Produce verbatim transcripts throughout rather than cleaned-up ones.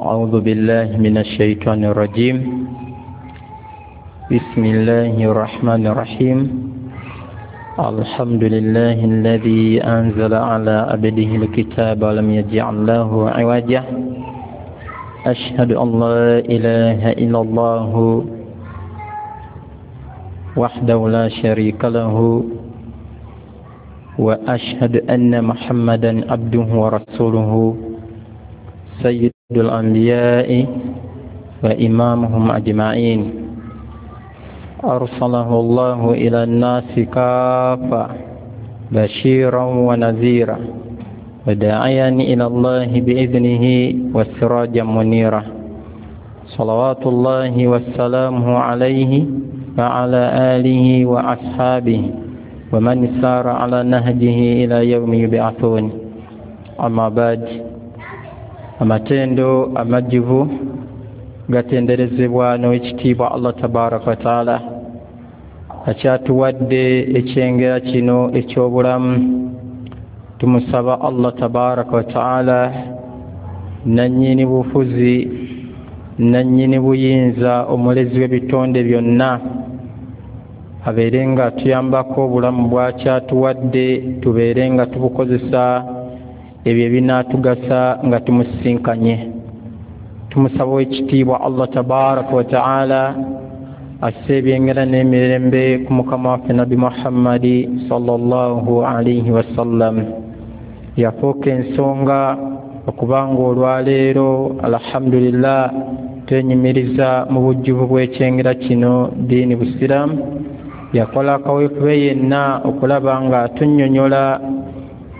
أعوذ بالله من الشيطان الرجيم. بسم الله الرحمن الرحيم. الحمد لله الذي أنزل على عبده الكتاب ولم يجعل له عوجا. أشهد أن لا إله إلا الله وحده لا شريك له، وأشهد أن محمدا عبده ورسوله سيد الأنبياء وإمامهم أجمعين. أرسله الله إلى الناس كافة بشيرا ونذيرا وداعيا إلى الله بإذنه وسراجا منيرا. صلوات الله وسلامه عليه وعلى آله وأصحابه ومن سار على نهجه إلى يوم يبعثون. أما بعد، amatendo amajjuvu gatenderezebwa n'ekitiibwa Allah tabaraka wa taala akyatuwadde ekyengera kino eky'obulamu. Tumusaba Allah tabaraka wa taala nannyini bufuzi, nannyini buyinza, omulezi w'ebitonde byonna, abeere nga tuyambako obulamu bwakyatuwadde tubeere nga tubukozesa ebyo ebinaatugasa nga tumusisinkanye. Tumusaba ekitiibwa Allah tabaraka wa taala asse ebyengera n'emirembe ku mukama waffe Nabbi Muhammadi sallallahu alaihi wasallam. Yafuuka ensonga okubanga olwaleero alhamdulillah twenyumiriza mu bujjuvu bw'ekyengera kino ddiini busiraamu. Yakola kaweefube yenna okulaba nga tunnyonnyola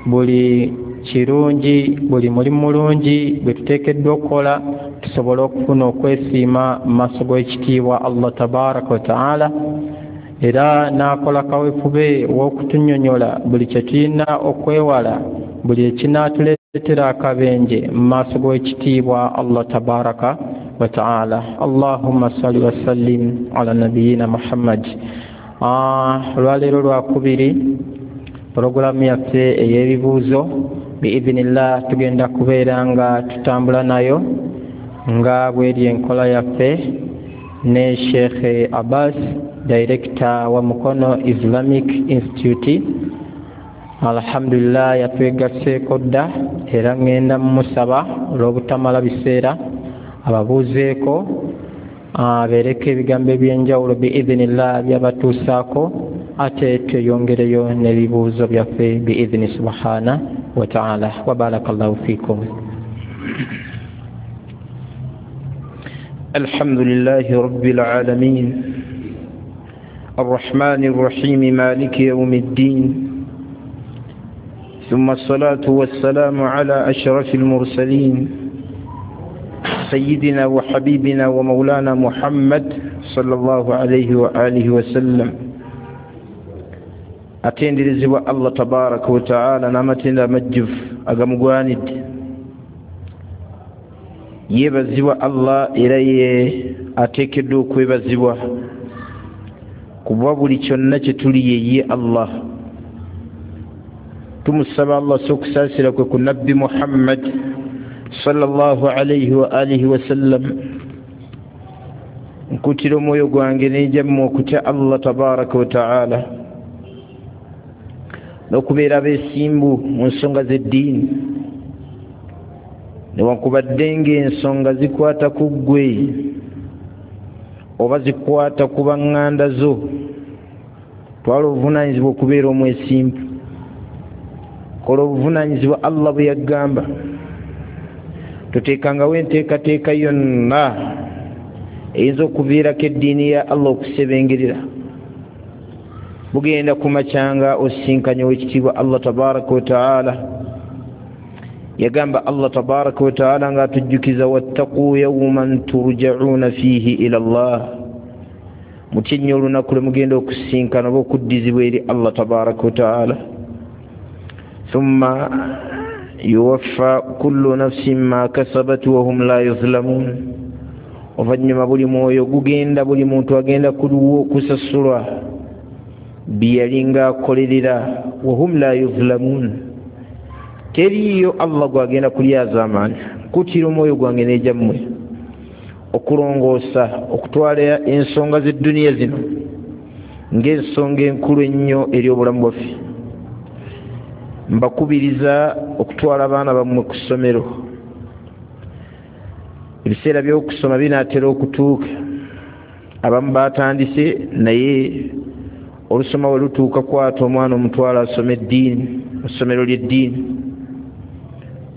buli kirungi, buli mulimu mulungi bwe tuteekeddwa okukola tusobole okufuna okwesiima mu maaso g'ekitiibwa Allah tabaraka wa taala. Era n'akola kaweefube w'okutunnyonnyola buli kye tulina okwewala, buli ekinaatuleetera akabenje mu maaso g'ekitiibwa Allah tabaraka wa taala. Allahumma salli wa sallim ala nabiyina Muhammad. Olwaleero lwakubiri, pulogulaamu yaffe ey'ebibuuzo biidhinillah tugenda kubeera nga tutambula nayo nga bweri enkola yaffe ne Sheikh Abbas, director wa Mukono Islamic Institute. Alhamdulillah yatwegasseeko dda, era ngenda mumusaba olw'obutamala biseera ababuuzeeko, abeereko ebigambo ebyenjawulo biidhinillah byabatuusaako, ate tweyongereyo n'ebibuuzo byaffe biidhini subhana wa taala. Wa barakallahu fikum. الحمد لله رب العالمين الرحمن الرحيم مالك يوم الدين، ثم الصلاة والسلام على أشرف المرسلين سيدنا وحبيبنا ومولانا محمد صلى الله عليه وآله وسلم. Atenderezebwa Allah tabaraka wa taala n'amatendo amajjuvu agamugwanidde. Yeebazibwa Allah era ye ateekeddwa okwebazibwa, kuba buli kyonna kye tuli ye ye Allah. Tumusaba Allah so okusaasira kwe ku Nabbi Muhammad sallallahu alaihi wa alihi wasallam. Nkutira omwoyo gwange n'enjammwe okutya Allah tabaraka wa taala n'okubeera abeesimbu mu nsonga z'eddiini, newankubadde ng'ensonga zikwata ku ggwe oba zikwata ku baŋŋanda zo, twala obuvunaanyizibwa okubeera omwesimbu. Kola obuvunaanyizibwa Allah bwe yagamba. Toteekangawo enteekateeka yonna eyinza okuviirako eddiini ya Allah okusebengerera. Bugenda kumacyanga osinkanye owekitiibwa Allah tabaraka wa taala. Yagamba Allah tabaraka wa taala ng'atujjukiza, wattaquu yawman turja'uuna fiihi ila Allah, mutye nnyo olunaku lwe mugenda okusinkana oba okuddizibwa eri Allah tabaraka wa taala. Thumma yuwaffa kullu nafsin ma kasabat wa hum la yuzlamun, oluvannyuma buli mwoyo gugenda, buli muntu agenda kusasulwa bye yalinga akolerera, wahum la yuzlamun, Teriiyo Allah gwagenda kulyazaamaanya. Nkuutira omwoyo gwange n'egyammwe okulongoosa, okutwala ensonga z'edduniya zino ng'ensonga enkulu ennyo eri obulamu bwaffe. Mbakubiriza okutwala abaana bammwe ku ssomero. Ebiseera by'okusoma binaatera okutuuka, abamu batandise, naye olusoma we lutuuka kwata omwana omutwala asome eddiini mu ssomero ly'eddiini.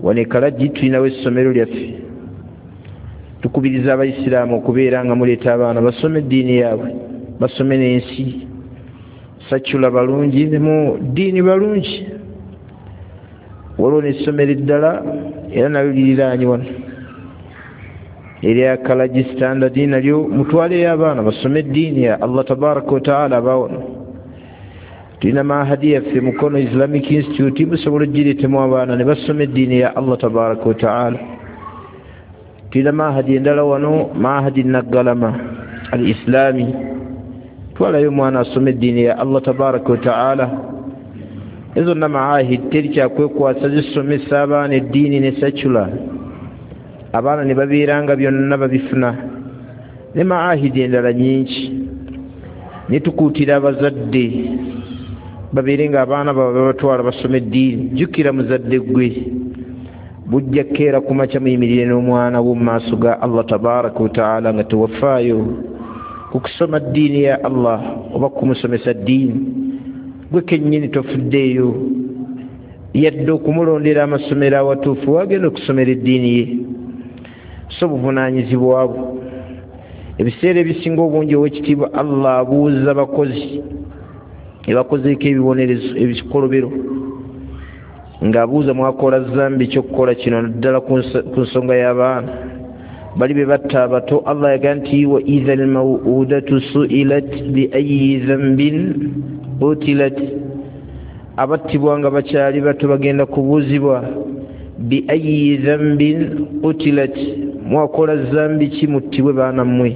Wano e Kalagi tulinawo essomero lyaffe. Tukubiriza abayisiraamu okubeera nga muleeta abaana basome eddiini yaabwe, basome n'ensi. Sakyula balungi ne mu ddiini balungi. Waliwo n'essomero eddala era nalyo liriraanye wano erya Kalagi Standard, nalyo mutwaleyo abaana basome eddiini ya Allah tabaraka wa taala. Abawano tulina mahadi yaffe Mukono Islamic Institute, musobola ogireetemu abaana ne basoma eddiini ya Allah tabaraka wa taala. Tulina mahadi endala wano, mahadi Naggalama al Islami, twalayo omwana asome eddiini ya Allah tabaraka wa taala. Ezo zonna maahid teri kyakwekwasa, zisomesa abaana eddiini ne secular, abaana ne babeera nga byonna babifuna, ne maahidi endala nyingi. Ne tukuutira abazadde babeere nga abaana baabwe babatwala basome eddiini. Jjukira muzadde ggwe, bujja kkeera ku makya muyimirire n'omwana wo mu maaso ga Allah tabaraka wa taala nga tewafaayo ku kusoma ddiini ya Allah oba kumusomesa ddiini. Gwe kennyini tofuddeeyo yadde okumulondera amasomero awatuufu wagenda okusomera eddiini ye. So buvunaanyizibwa bwo. Ebiseera ebisinga obungi ow'ekitiibwa Allah abuuza bakozi ebakozeeko ebibonerezo ebikolobero, ng'abuuza mwakola zambi ky'okukola kino, naddala ku nsonga y'abaana bali be batta abato. Allah yaga nti wa idha almawudatu su'ilat bi ayyi dhanbin qutilat, abattibwa nga bakyali bato bagenda kubuuzibwa bi ayyi dhanbin qutilat, mwakola zambi ki muttibwe baana mmwe.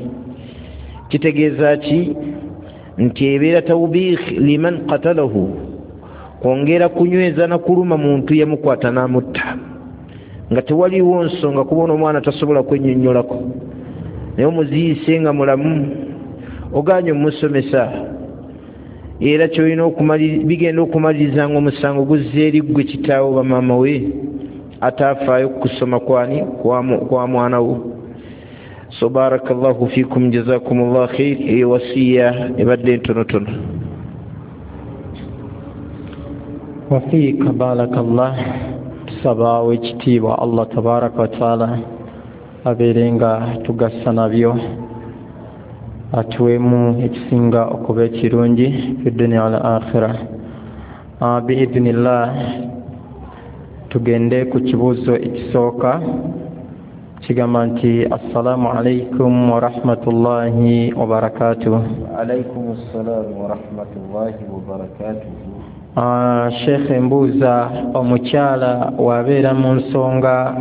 Kitegeeza ki? Nti ebeera tawbiikh liman qatalahu, kwongera kunyweza na kuluma muntu yamukwata n'amutta nga tewaliwo nsonga, kubona omwana tasobola kwennyonnyolako, naye omuziise nga mulamu ogaanye omusomesa, era kyolina bigenda okumaliriza nga omusango guzza eri ggwe kitaawo ba maama we ataafaayo kusoma kwani kwa mwana wo. So barakallahu fikum, jazakumullah khair. Eyo wasiya ebadde ntonotono. Wafiika barakallah. Tusaba ow'ekitiibwa Allah tabaraka wa taala abeere nga tugasa nabyo, atuweemu ekisinga okuba ekirungi fi dunya wal akhira. Biidhnillah tugende ku kibuuzo ekisooka kigamba nti assalamu alaikum warahmatullahi wabarakatuh. Alaikum assalamu warahmatullahi wabarakatuh. Sheikh, mbuuza omukyala wabeera mu nsonga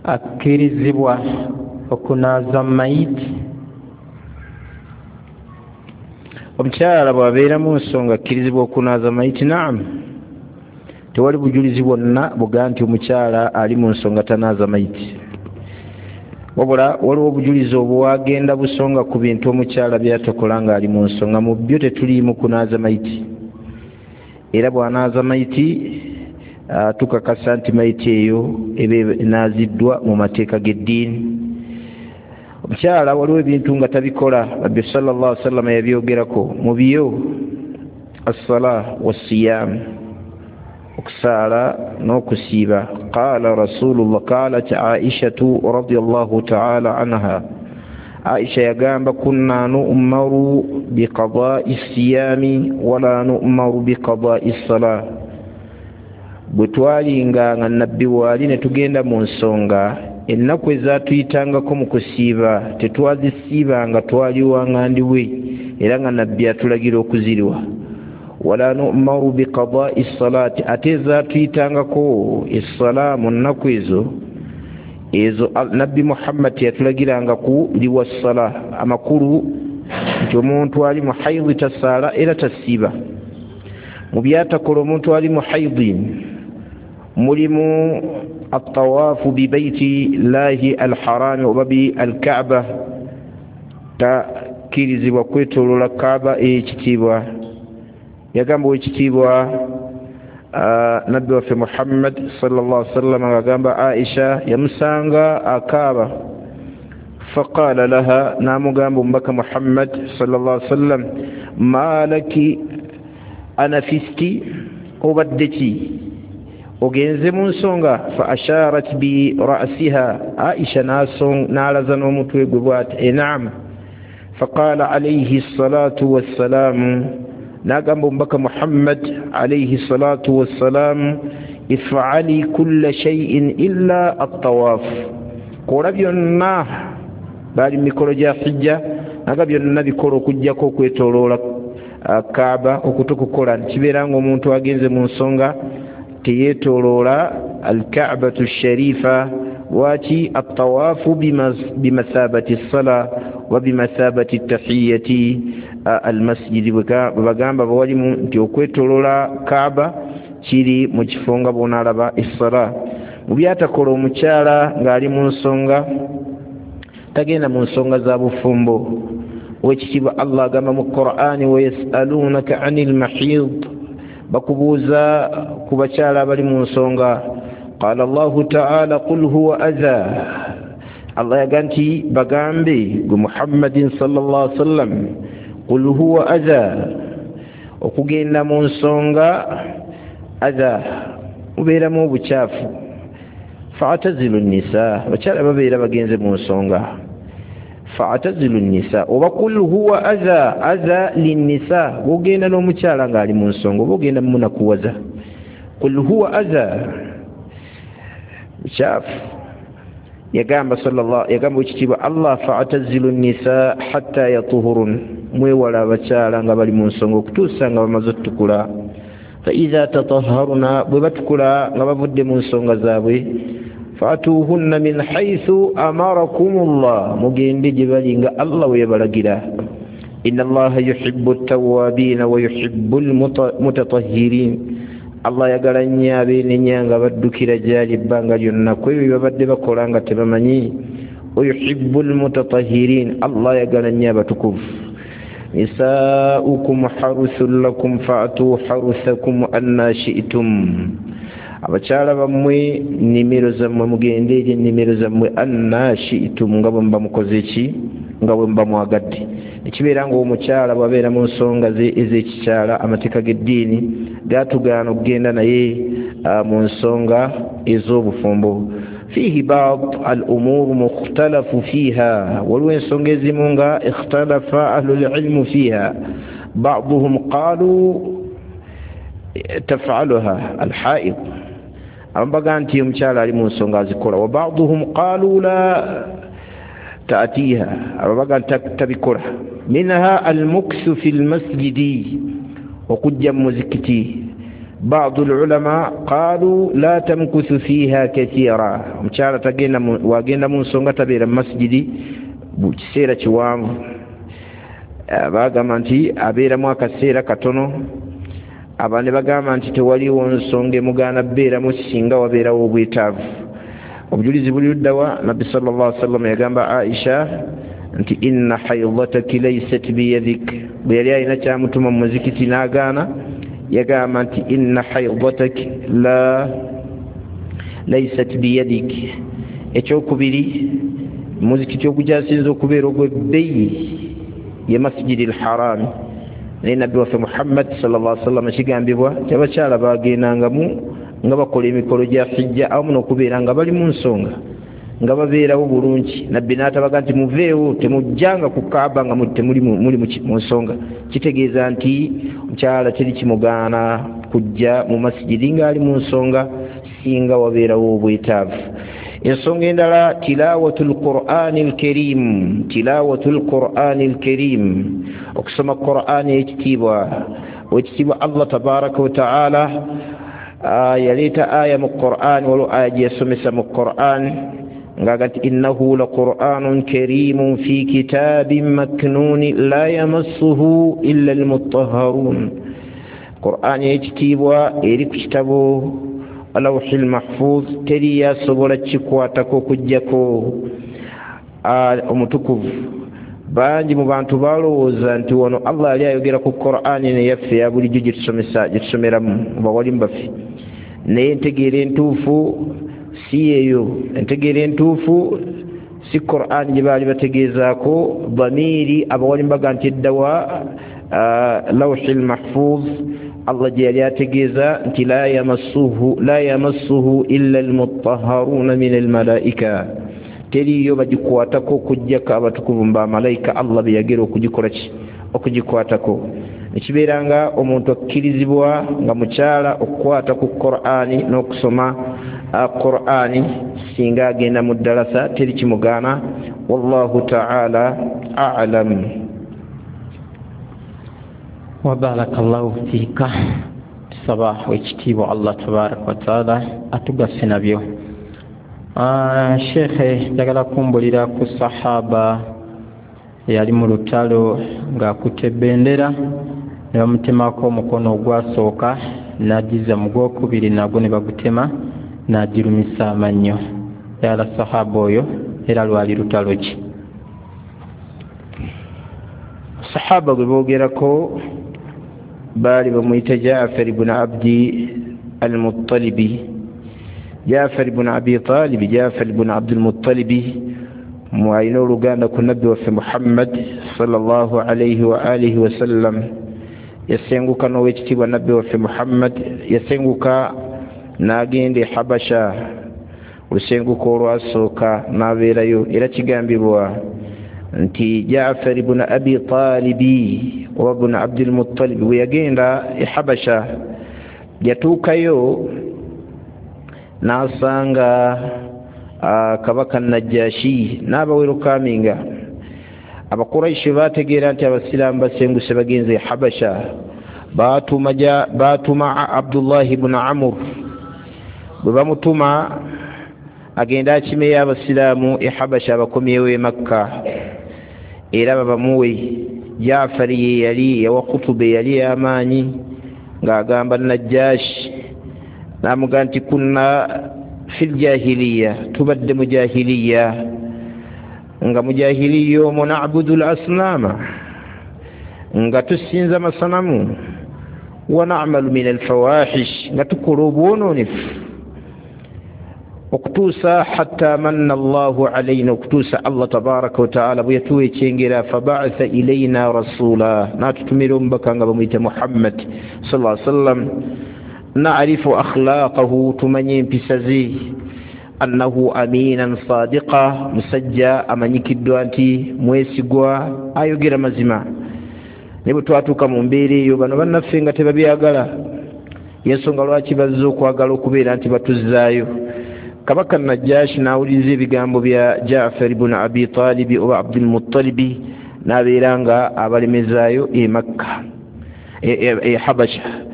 akkirizibwa okunaaza mayiti? Omukyala bw'abeera mu nsonga akkirizibwa okunaaza mayiti? Naam, tewali bujulizi bwonna buga nti omukyala ali mu nsonga tanaaza mayiti, wabula waliwo obujulizi obuwagenda busonga ku bintu omukyala byatakola ng'ali mu nsonga. Mu byo tetuliimu kunaaza mayiti, era bw'anaaza mayiti tukakasa nti mayiti eyo eba enaaziddwa mu mateeka g'eddiini. Omukyala waliwo ebintu nga tabikola, Nabbi sallallahu alaihi wasallam yabyogerako. Mu byo as-salah was-siyam, okusaala n'okusiiba. Qaala rasulullah, qaalat Aishatu radiyallahu ta'ala anha, Aisha yagamba kunna nu'maru biqada'i siyami wala nu'maru biqada'i salah. Bwe twalinga nga Nabbi waali ne tugenda mu nsonga, ennaku ezaatuyitangako mu kusiiba tetwazisiibanga, twaliwanga ndiwe, era nga Nabbi atulagira okuziriwa. Wala nu'maru biqada'i salati, ate ezaatuyitangako essala mu nnaku ezo ezo Nabbi Muhammad yatulagiranga ku liwa ssala. Amakulu nti omuntu ali mu haidhi tasaala era tasiiba. Mu byatakola omuntu ali mu haidhi, Mulimu atawaafu bibaiti llahi alharami oba bi alkaaba, takkirizibwa kwetoloola Kaaba ey'ekitiibwa. Yagamba owekitiibwa Nabbi waffe Muhammad sallallahu alaihi wasallam ng'agamba Aisha, yamusanga akaaba, faqala laha, n'amugamba omubaka Muhammad sallallahu alaihi wasallam, ma laki anafisti, obadde ki, ogenze mu nsonga? Fa asharat bi ra'siha, Aisha n'alaza n'omutwe gwe bw'ati, enam. Faqala alayhi salatu wassalamu, n'agamba omubaka Muhammad alayhi salatu wassalamu, if'ali kulla shay'in illa at-tawaf, kola byonna. Bali mu mikolo gya hijja, naga byonna bikola okuggyako okwetoloola Kaaba. Okutukukola kibeera ng'omuntu agenze mu nsonga teyeetoloola alkaabatu sharifa. Lwaki? Attawaafu bimathabati ssala wa bimathabati tahiyati almasjidi. Bwe bagamba bawalimu nti okwetoloola Kaaba kiri mu kifo nga bw'onaalaba essala. Mu byatakola omukyala ng'ali mu nsonga, tagenda mu nsonga za bufumbo. Owekitiibwa Allah agamba mu Qur'ani, wayasalunaka anil mahid, bakubuuza ku bakyala abali mu nsonga. Qala Allahu ta'ala, qul huwa adha, Allah yaga nti bagambe gwe Muhammadin sallallahu alaihi wasallam, qul huwa adha, okugenda mu nsonga adha, mubeeramu obukyafu. Fa'tazilu nisa, abakyala babeera bagenze mu nsonga, fa'tazilu nisa, oba qul huwa adha, adha linnisa, bw'ogenda n'omukyala ng'ali mu nsonga oba ogenda mumunakuwaza. Qul huwa adha, bukyafu. Yagamba sallallahu, yagamba ekitiibwa Allah, fa'tazilu nisa hatta yatuhurun, mwewala abakyala nga bali mu nsonga okutuusa nga bamaze otutukula. Fa idha tatahharuna, bwe batukula nga bavudde mu nsonga zaabwe, fa'tuhunna min haythu amarakumullah, mugende gye bali nga Allah we yabalagira. Inna Allaha yuhibbu at-tawwabina wa yuhibbu al-mutatahhirin, Allah ayagala nnyo abeenenya nga baddukira gy'ali ebbanga lyonna ku ebyo bye babadde bakola nga tebamanyi. Wa yuhibbu al-mutatahhirin, Allah ayagala nnyo abatukuvu. Nisaa'ukum haruthun lakum fa'tu haruthakum anna shi'tum, abakyala bammwe nnimiro zammwe, mugende eri ennimiro zammwe, anna shi'tum, nga bwe muba mukoze ki, nga bwe muba mwagadde. Ekibeera ng'omukyala bw'abeera mu nsonga ze ez'ekikyala, amateeka g'eddiini gatugaana okugenda naye mu nsonga ez'obufumbo. Fiihi ba'd al-umur mukhtalafu fiiha, waliwo ensonga ezimu nga ikhtalafa ahlul ilmu fiiha, ba'duhum qaalu taf'aluha al-haid, abamu bagamba nti omukyala ali mu nsonga azikola, wa ba'duhum qaalu la ta'tiha, abamu bagamba nti tabikola. Minha al-mukthu fi al-masjidi, okujja mu muzikiti. Ba'du al-ulama qalu la tamkuthu fiha kathira, omukyala tagenda wagenda mu nsonga tabeera mu masjidi mu kiseera kiwanvu, bagamba nti abeeramu akaseera katono. Abandi bagamba nti tewaliwo nsonga emugaana beeramu singa wabeerawo obwetaavu. Obujulizi buli luddawa? Nabbi sallallahu alaihi wasallam yagamba Aisha nti inna haidhataki laysat biyadik, bwe yali alina kyamutuma mu muzikiti n'agaana, yagamba nti inna haidhataki la laysat biyadik. Ekyokubiri, muzikiti ogukyasinze okubeera ogw'ebbeeyi ye Masjidi al-Harami, naye Nabbi waffe Muhammad sallallahu alaihi wasallam kigambibwa nti abakyala bagendangamu nga bakola emikolo gya hijja awamu n'okubeera nga bali mu nsonga nga babeerawo bulungi. Nabbi n'atabaga nti muveewo, temujjanga ku Kaaba nga temuli muli mu nsonga. Kitegeeza nti omukyala teri kimugaana kujja mu masjidi ng'ali mu nsonga singa wabeerawo obwetaavu. Ensonga endala, tilawatul Qur'ani al-Karim, tilawatul Qur'ani al-Karim, okusoma Qur'ani ekitiibwa. Owekitiibwa Allah tabaraka wa ta'ala yaleeta aya mu Qur'an, waliwo aya gye yasomesa mu Qur'an ng'aga nti innahu la Qur'anun karimun fi kitabin maknuni la yamassuhu illa al-mutahharun. Qur'ani ekitiibwa eri ku kitabo Lawhi lmahfuz, teri yasobola kikwatako okuggyako omutukuvu. Bangi mu bantu balowooza nti wano Allah yali ayogera ku Qur'ani neyaffe ya bulijjo gyetusomesa gyetusomeramu bawalimu baffe, naye entegeera entuufu si yeeyo. Entegeera entuufu si Qur'ani gye baali bategeezaako. Dhamiri abawalimu baga nti eddawa Lawhi lmahfuz, Allah gye yali ategeeza nti la yamassuhu la yamassuhu illa almutahharuna min almalaika, teriyo bagikwatako okuggyako abatukuvu mu bamalayika Allah be yagera okugikola ki okugikwatako. Ekibeera nga omuntu akkirizibwa nga mukyala okukwata ku Qur'ani n'okusoma Qur'ani singa agenda mu ddalasa, teri kimugaana. Wallahu ta'ala a'lam. Wa barakallahu fiika. Tusaba ekitiibwa Allah tabaraka wa taala atugase nabyo. Shekhe, njagala kumbulira ku sahaba eyali mu lutalo ng'akutte bendera ne bamutemako omukono ogwasooka n'agiza mu gwokubiri nagwo ne bagutema n'agirumisa amannyo. Yala sahaba oyo era lwali lutalo ki? Sahaba gwe boogerako baali bamuyita Jaafar ibn Abdi al-Muttalibi, Jaafar ibn Abi Talib, Jaafar ibn Abdul Muttalibi, alina oluganda ku nabbi waffe Muhammad sallallahu alayhi wa alihi wasallam. Yasenguka n'owekitiibwa nabbi waffe Muhammad, yasenguka n'agenda e Habasha, olusenguka olwasooka n'abeerayo. Era kigambibwa nti Jaafar ibn Abi Talibi oba ibn Abdul Muttalib bwe yagenda e Habasha yatuukayo n'asanga kabaka Najashi n'abawerukaminga. Abakuraishi bategeera nti abasiraamu basenguse bagenze e Habasha, baatuma baatuma Abdullahi ibn Amr. Bwe bamutuma agenda akimeyo abasiraamu e Habasha abakomyewo e Makka era babamuwe. Jaafari ye yali yawa kutuba eyali y'amaanyi ng'agamba Najashi, n'amugamba nti kunna fil jahiliya, tubadde mu jahiliya, nga mu jahiliya omwo na'budu al-asnama, nga tusinza amasanamu, wa na'malu min alfawahish, nga tukola obwonoonefu okutuusa hatta manna Allahu alayna, okutuusa Allah tabaraka wa taala bwe yatuwa ekyengera, faba'atha ilayna rasula, n'atutumira omubaka nga bamuyita Muhammad sallallahu alaihi wasallam, na'rifu akhlaqahu, tumanye empisa ze, annahu aminan sadiqa, musajja amanyikiddwa nti mwesigwa ayogera mazima. Naye bwe twatuuka mu mbeera eyo bano bannaffe nga tebabyagala, yensonga lwaki bazze okwagala okubeera nti batuzzaayo. Kabaka Najashi n'awuliriza ebigambo bya Jaafar ibn Abi Talibi oba Abdul Muttalibi n'abeera nga abalemezaayo e Makka e Habasha.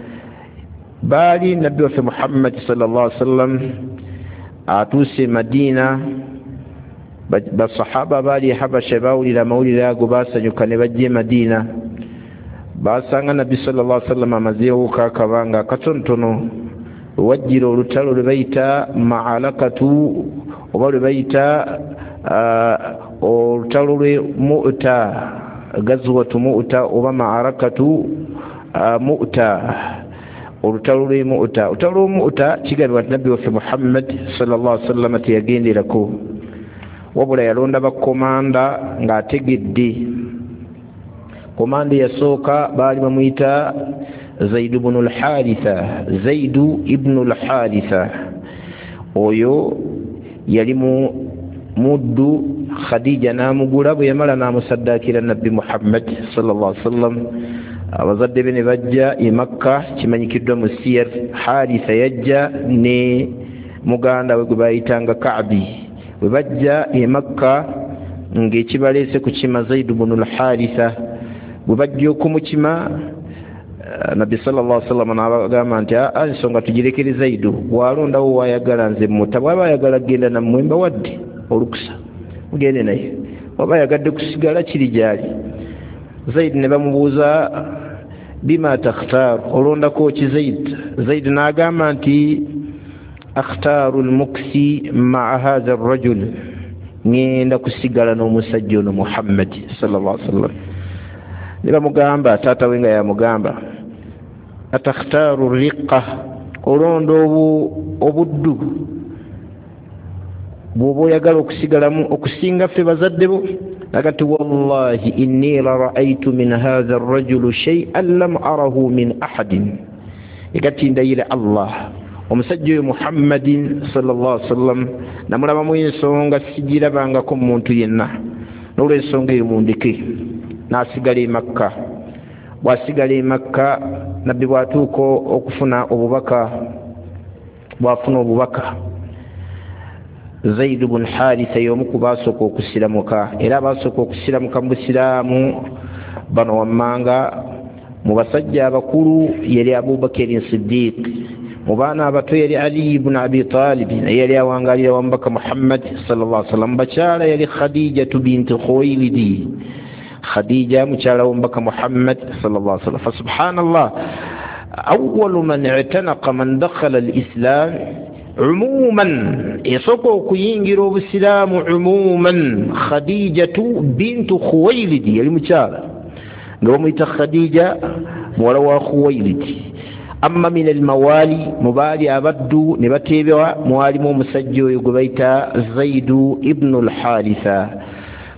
Baali nabbi waffe Muhammad sallallahu alaihi wasallam atuuse e Madina, basahaba baali e Habasha bawulira amawulire ago basanyuka ne bajja e Madina. Basanga nabbi sallallahu alaihi wasallam amazeewo akabanga katonotono, wajjira olutalo lwe bayita ma'alakatu oba lwe bayita olutalo lwe Mu'ta, gazwatu Mu'ta oba ma'arakatu Mu'ta, olutalo lwe Mu'ta. Olutalo lwe Mu'ta kigambibwa nti nabbi waffe Muhammad sallallahu alaihi wasallam teyagenderako, wabula yalonda bakomanda ng'ategedde. Komanda eyasooka baali bamuyita Zaid ibn al-Haritha, Zaid ibn al-Haritha. Oyo yali mu muddu Khadija n'amugula, bwe yamala n'amusaddaakira nabbi Muhammad sallallahu alaihi wasallam. Abazadde be ne bajja e Makka, kimanyikiddwa mu siyar. Haritha yajja ne muganda we gwe bayitanga Ka'bi. Bwe bajja e Makka ng'ekibaleese ku kima Zaid ibn al-Haritha, bwe bajja okumukima nabbi sallallahu alaihi wasallam n'abagamba nti aa ensonga tugirekere Zaidu, bw'alondawo wayagala nze mutta, bw'aba ayagala kugenda nammwe mbawadde olukusa mugende naye, bw'aba ayagadde kusigala kiri gy'ali. Zaid ne bamubuuza bima takhtar, olondako ki Zaid? Zaid n'agamba nti Akhtaaru lmuksi maa hatha rajul, ŋŋenda kusigala n'omusajja ono Muhammad sallallahu alaihi wasallam. Ne bamugamba, taata we nga yamugamba, atakhtaaru riqa, olonda obuddu bw'oba oyagala okusigalamu okusinga ffe bazadde bo? Agati wallahi inni la ra'aytu min hadha ar-rajul shay'an lam arahu min ahadin. Egati ndayira Allah, omusajja oyo Muhammadin sallallahu alaihi wasallam namulabamu ensonga sigirabangako muntu yenna, n'olwensonga eyo mundeke. N'asigala e Makka. Bw'asigala e Makka, nabbi bw'atuuka okufuna obubaka, bw'afuna obubaka, Zaid bun Haritha y'omu ku baasooka okusiramuka, era abaasooka okusiramuka mu busiraamu bano wammanga mu basajja abakulu yali Abubakari Siddiq, mu baana abato yali Ali ibn Abi Talib, naye yali awangaalira wa mubaka Muhammad sallallahu alaihi wasallam. Bakyala yali Khadijatu binti Khuwaylidi, Khadija mukyala w'omubaka Muhammad sallallahu alaihi wasallam. Fa subhanallah, awwalu man i'tanaqa man dakhala al-islam umuman, esooka okuyingira obusiraamu umuman, Khadijatu bintu Khuwaylidi, yali mukyala nga bamuyita Khadija muwala wa Khuwaylidi. Amma min almawali, mu baali abaddu ne bateebwa mwalimu omusajja oyo gwe bayita Zaidu ibnu al-Haritha.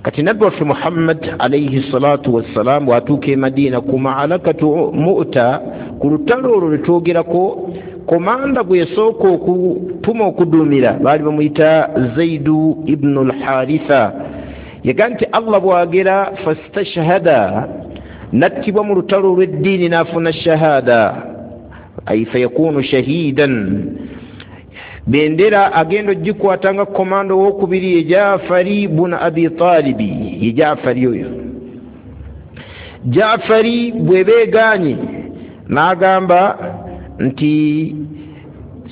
Kati nabbi waffe Muhammad alayhi salatu wassalam bw'atuuka e Madiina ku maalakatu Mu'ta, ku lutalo olwo lwe twogerako, komanda gwe yasooka okutuma okuduumira baali bamuyita Zaidu ibnu al-Haritha. Yaga nti Allah bw'agera fastashhada, nattibwa mu lutalo olw'eddiini n'afuna shahada, ay fayakunu shahidan. Bendera agenda ogikwata nga komando owokubiri ye Jaafari bun Abi Talibi, ye Jaafari oyo. Jaafari bwe beegaanye n'agamba nti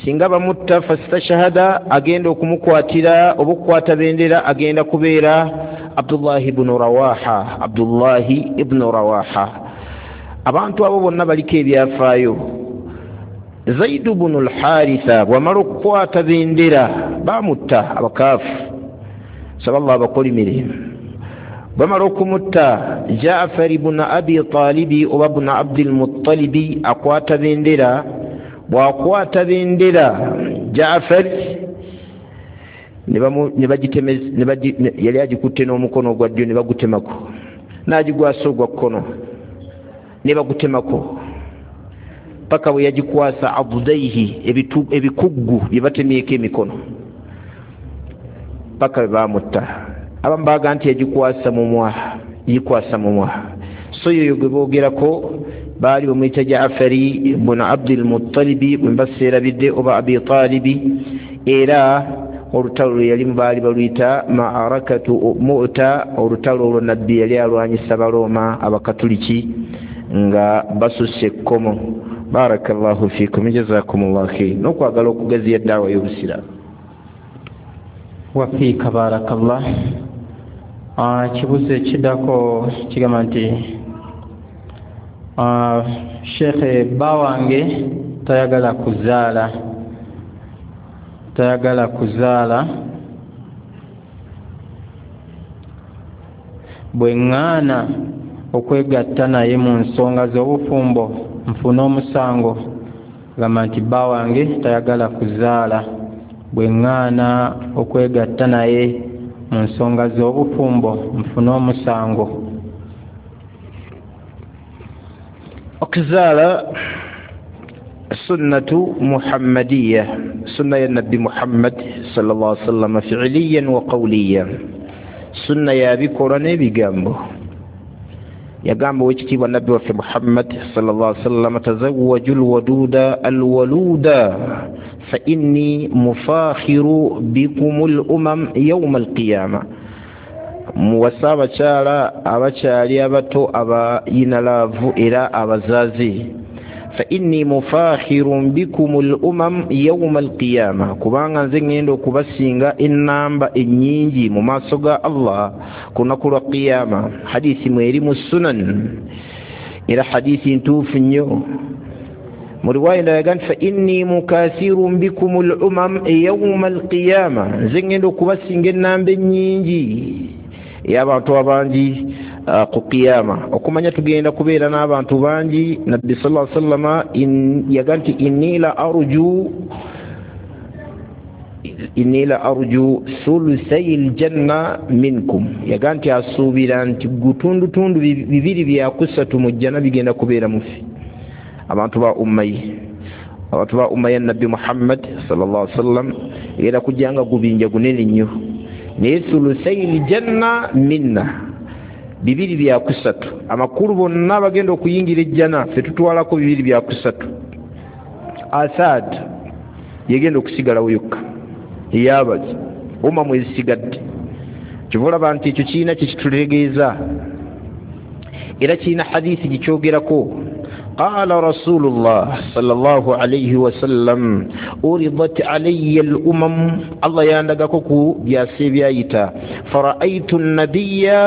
singa bamutta fastashhada, agenda okumukwatira oba okukwata bendera agenda kubeera Abdullahi ibn Rawaha, Abdullahi ibn Rawaha. Abantu abo bonna baliko ebyafaayo. Zaid ibn al-Haritha bw'amala okukwata bendera bamutta abakaafu, saba Allah abakolimire. Bamala okumutta, Jaafar ibn Abi Talibi oba ibn Abdil Muttalibi akwata bendera. Bw'akwata bendera Jaafar ne bagitemeza, yali agikutte n'omukono ogwa ddyo ne bagutemako, n'agigwasa ogwa kkono ne bagutemako, paka bwe yagikwasa abudaihi, ebikuggu bye batemyeko emikono, paka bwe bamutta. Abamu baga nti yagikwasa mumwa, gikwasa mumwa. So yoyo gwe boogerako baali bamuyita Jaafari ibn Abdil Muttalibi bwe mbaseerabidde oba Abi Talibi, era olutalo lwe yalimu baali baluyita Maarakatu Mu'ta. Olutalo olwo nabbi yali alwanyisa Balooma abakatuliki nga basusse ekkomo. Barakallahu fikum, jazakumullahu khair. N'okwagala okugaziya daawa y'obusiraamu. Wafiika barakallah. Ekibuuzo ekiddako kigamba nti Sheikh, bba wange tayagala kuzaala, tayagala kuzaala, bwe ŋŋaana okwegatta naye mu nsonga z'obufumbo nfune omusango? Gamba nti bba wange tayagala kuzaala, bwe ŋŋaana okwegatta naye mu nsonga z'obufumbo nfune omusango. Okuzaala sunnatu muhammadiya, sunna ya nabbi Muhammad sallallahu alaihi wasallam fi'liyan wa qawliyan, sunna yabikolwa n'ebigambo. Yagamba owekitiibwa nabbi waffe Muhammad sallallahu alaihi wasallam, tazawwaju lwaduda alwaluda fa inni mufakhiru bikum al-umam yawma al-qiyama. Muwasa abakyala abakyali abato abayina laavu era abazaazi, fa inni mufakhirun bikum al-umam yawma al-qiyama, kubanga nze ngenda okubasinga ennamba ennyingi mu maaso ga Allah ku lunaku lwa qiyama. Hadithi mweri mu sunan, era hadithi ntuufu nnyo. Mu riwaya endala yaga nti fa inni mukathirun bikum al umam yawma al qiyama, nze ngenda okubasinga ennamba ennyingi ey'abantu abangi ku qiyama. Okumanya tugenda kubeera n'abantu bangi. Nabbi sallallahu alaihi wasallama yaga nti inni la arju inni la arju thuluthay aljanna minkum, yaga nti asuubira nti gutundutundu bibiri byakusatu mu jjana bigenda kubeera mufi abantu ba ummayi, abantu ba umma ya Nabbi Muhammad sallallahu alaihi wasallam era kujjanga gubinja gunene nnyo. Naye thuluthay aljanna minna, bibiri byakusatu, amakulu bonna bagenda okuyingira ejjana ffe tutwalako bibiri byakusatu. Asad yegenda okusigalawo yokka eyabazi umma mwezisigadde. Kyova olaba nti ekyo kirina kye kitutegeeza, era kirina hadiisi gikyogerako. Qala Rasulullah sallallahu alayhi wasallam uridat alayya al-umam, Allah yandagako ku byasi ebyayita, fara'aytu an-nabiyya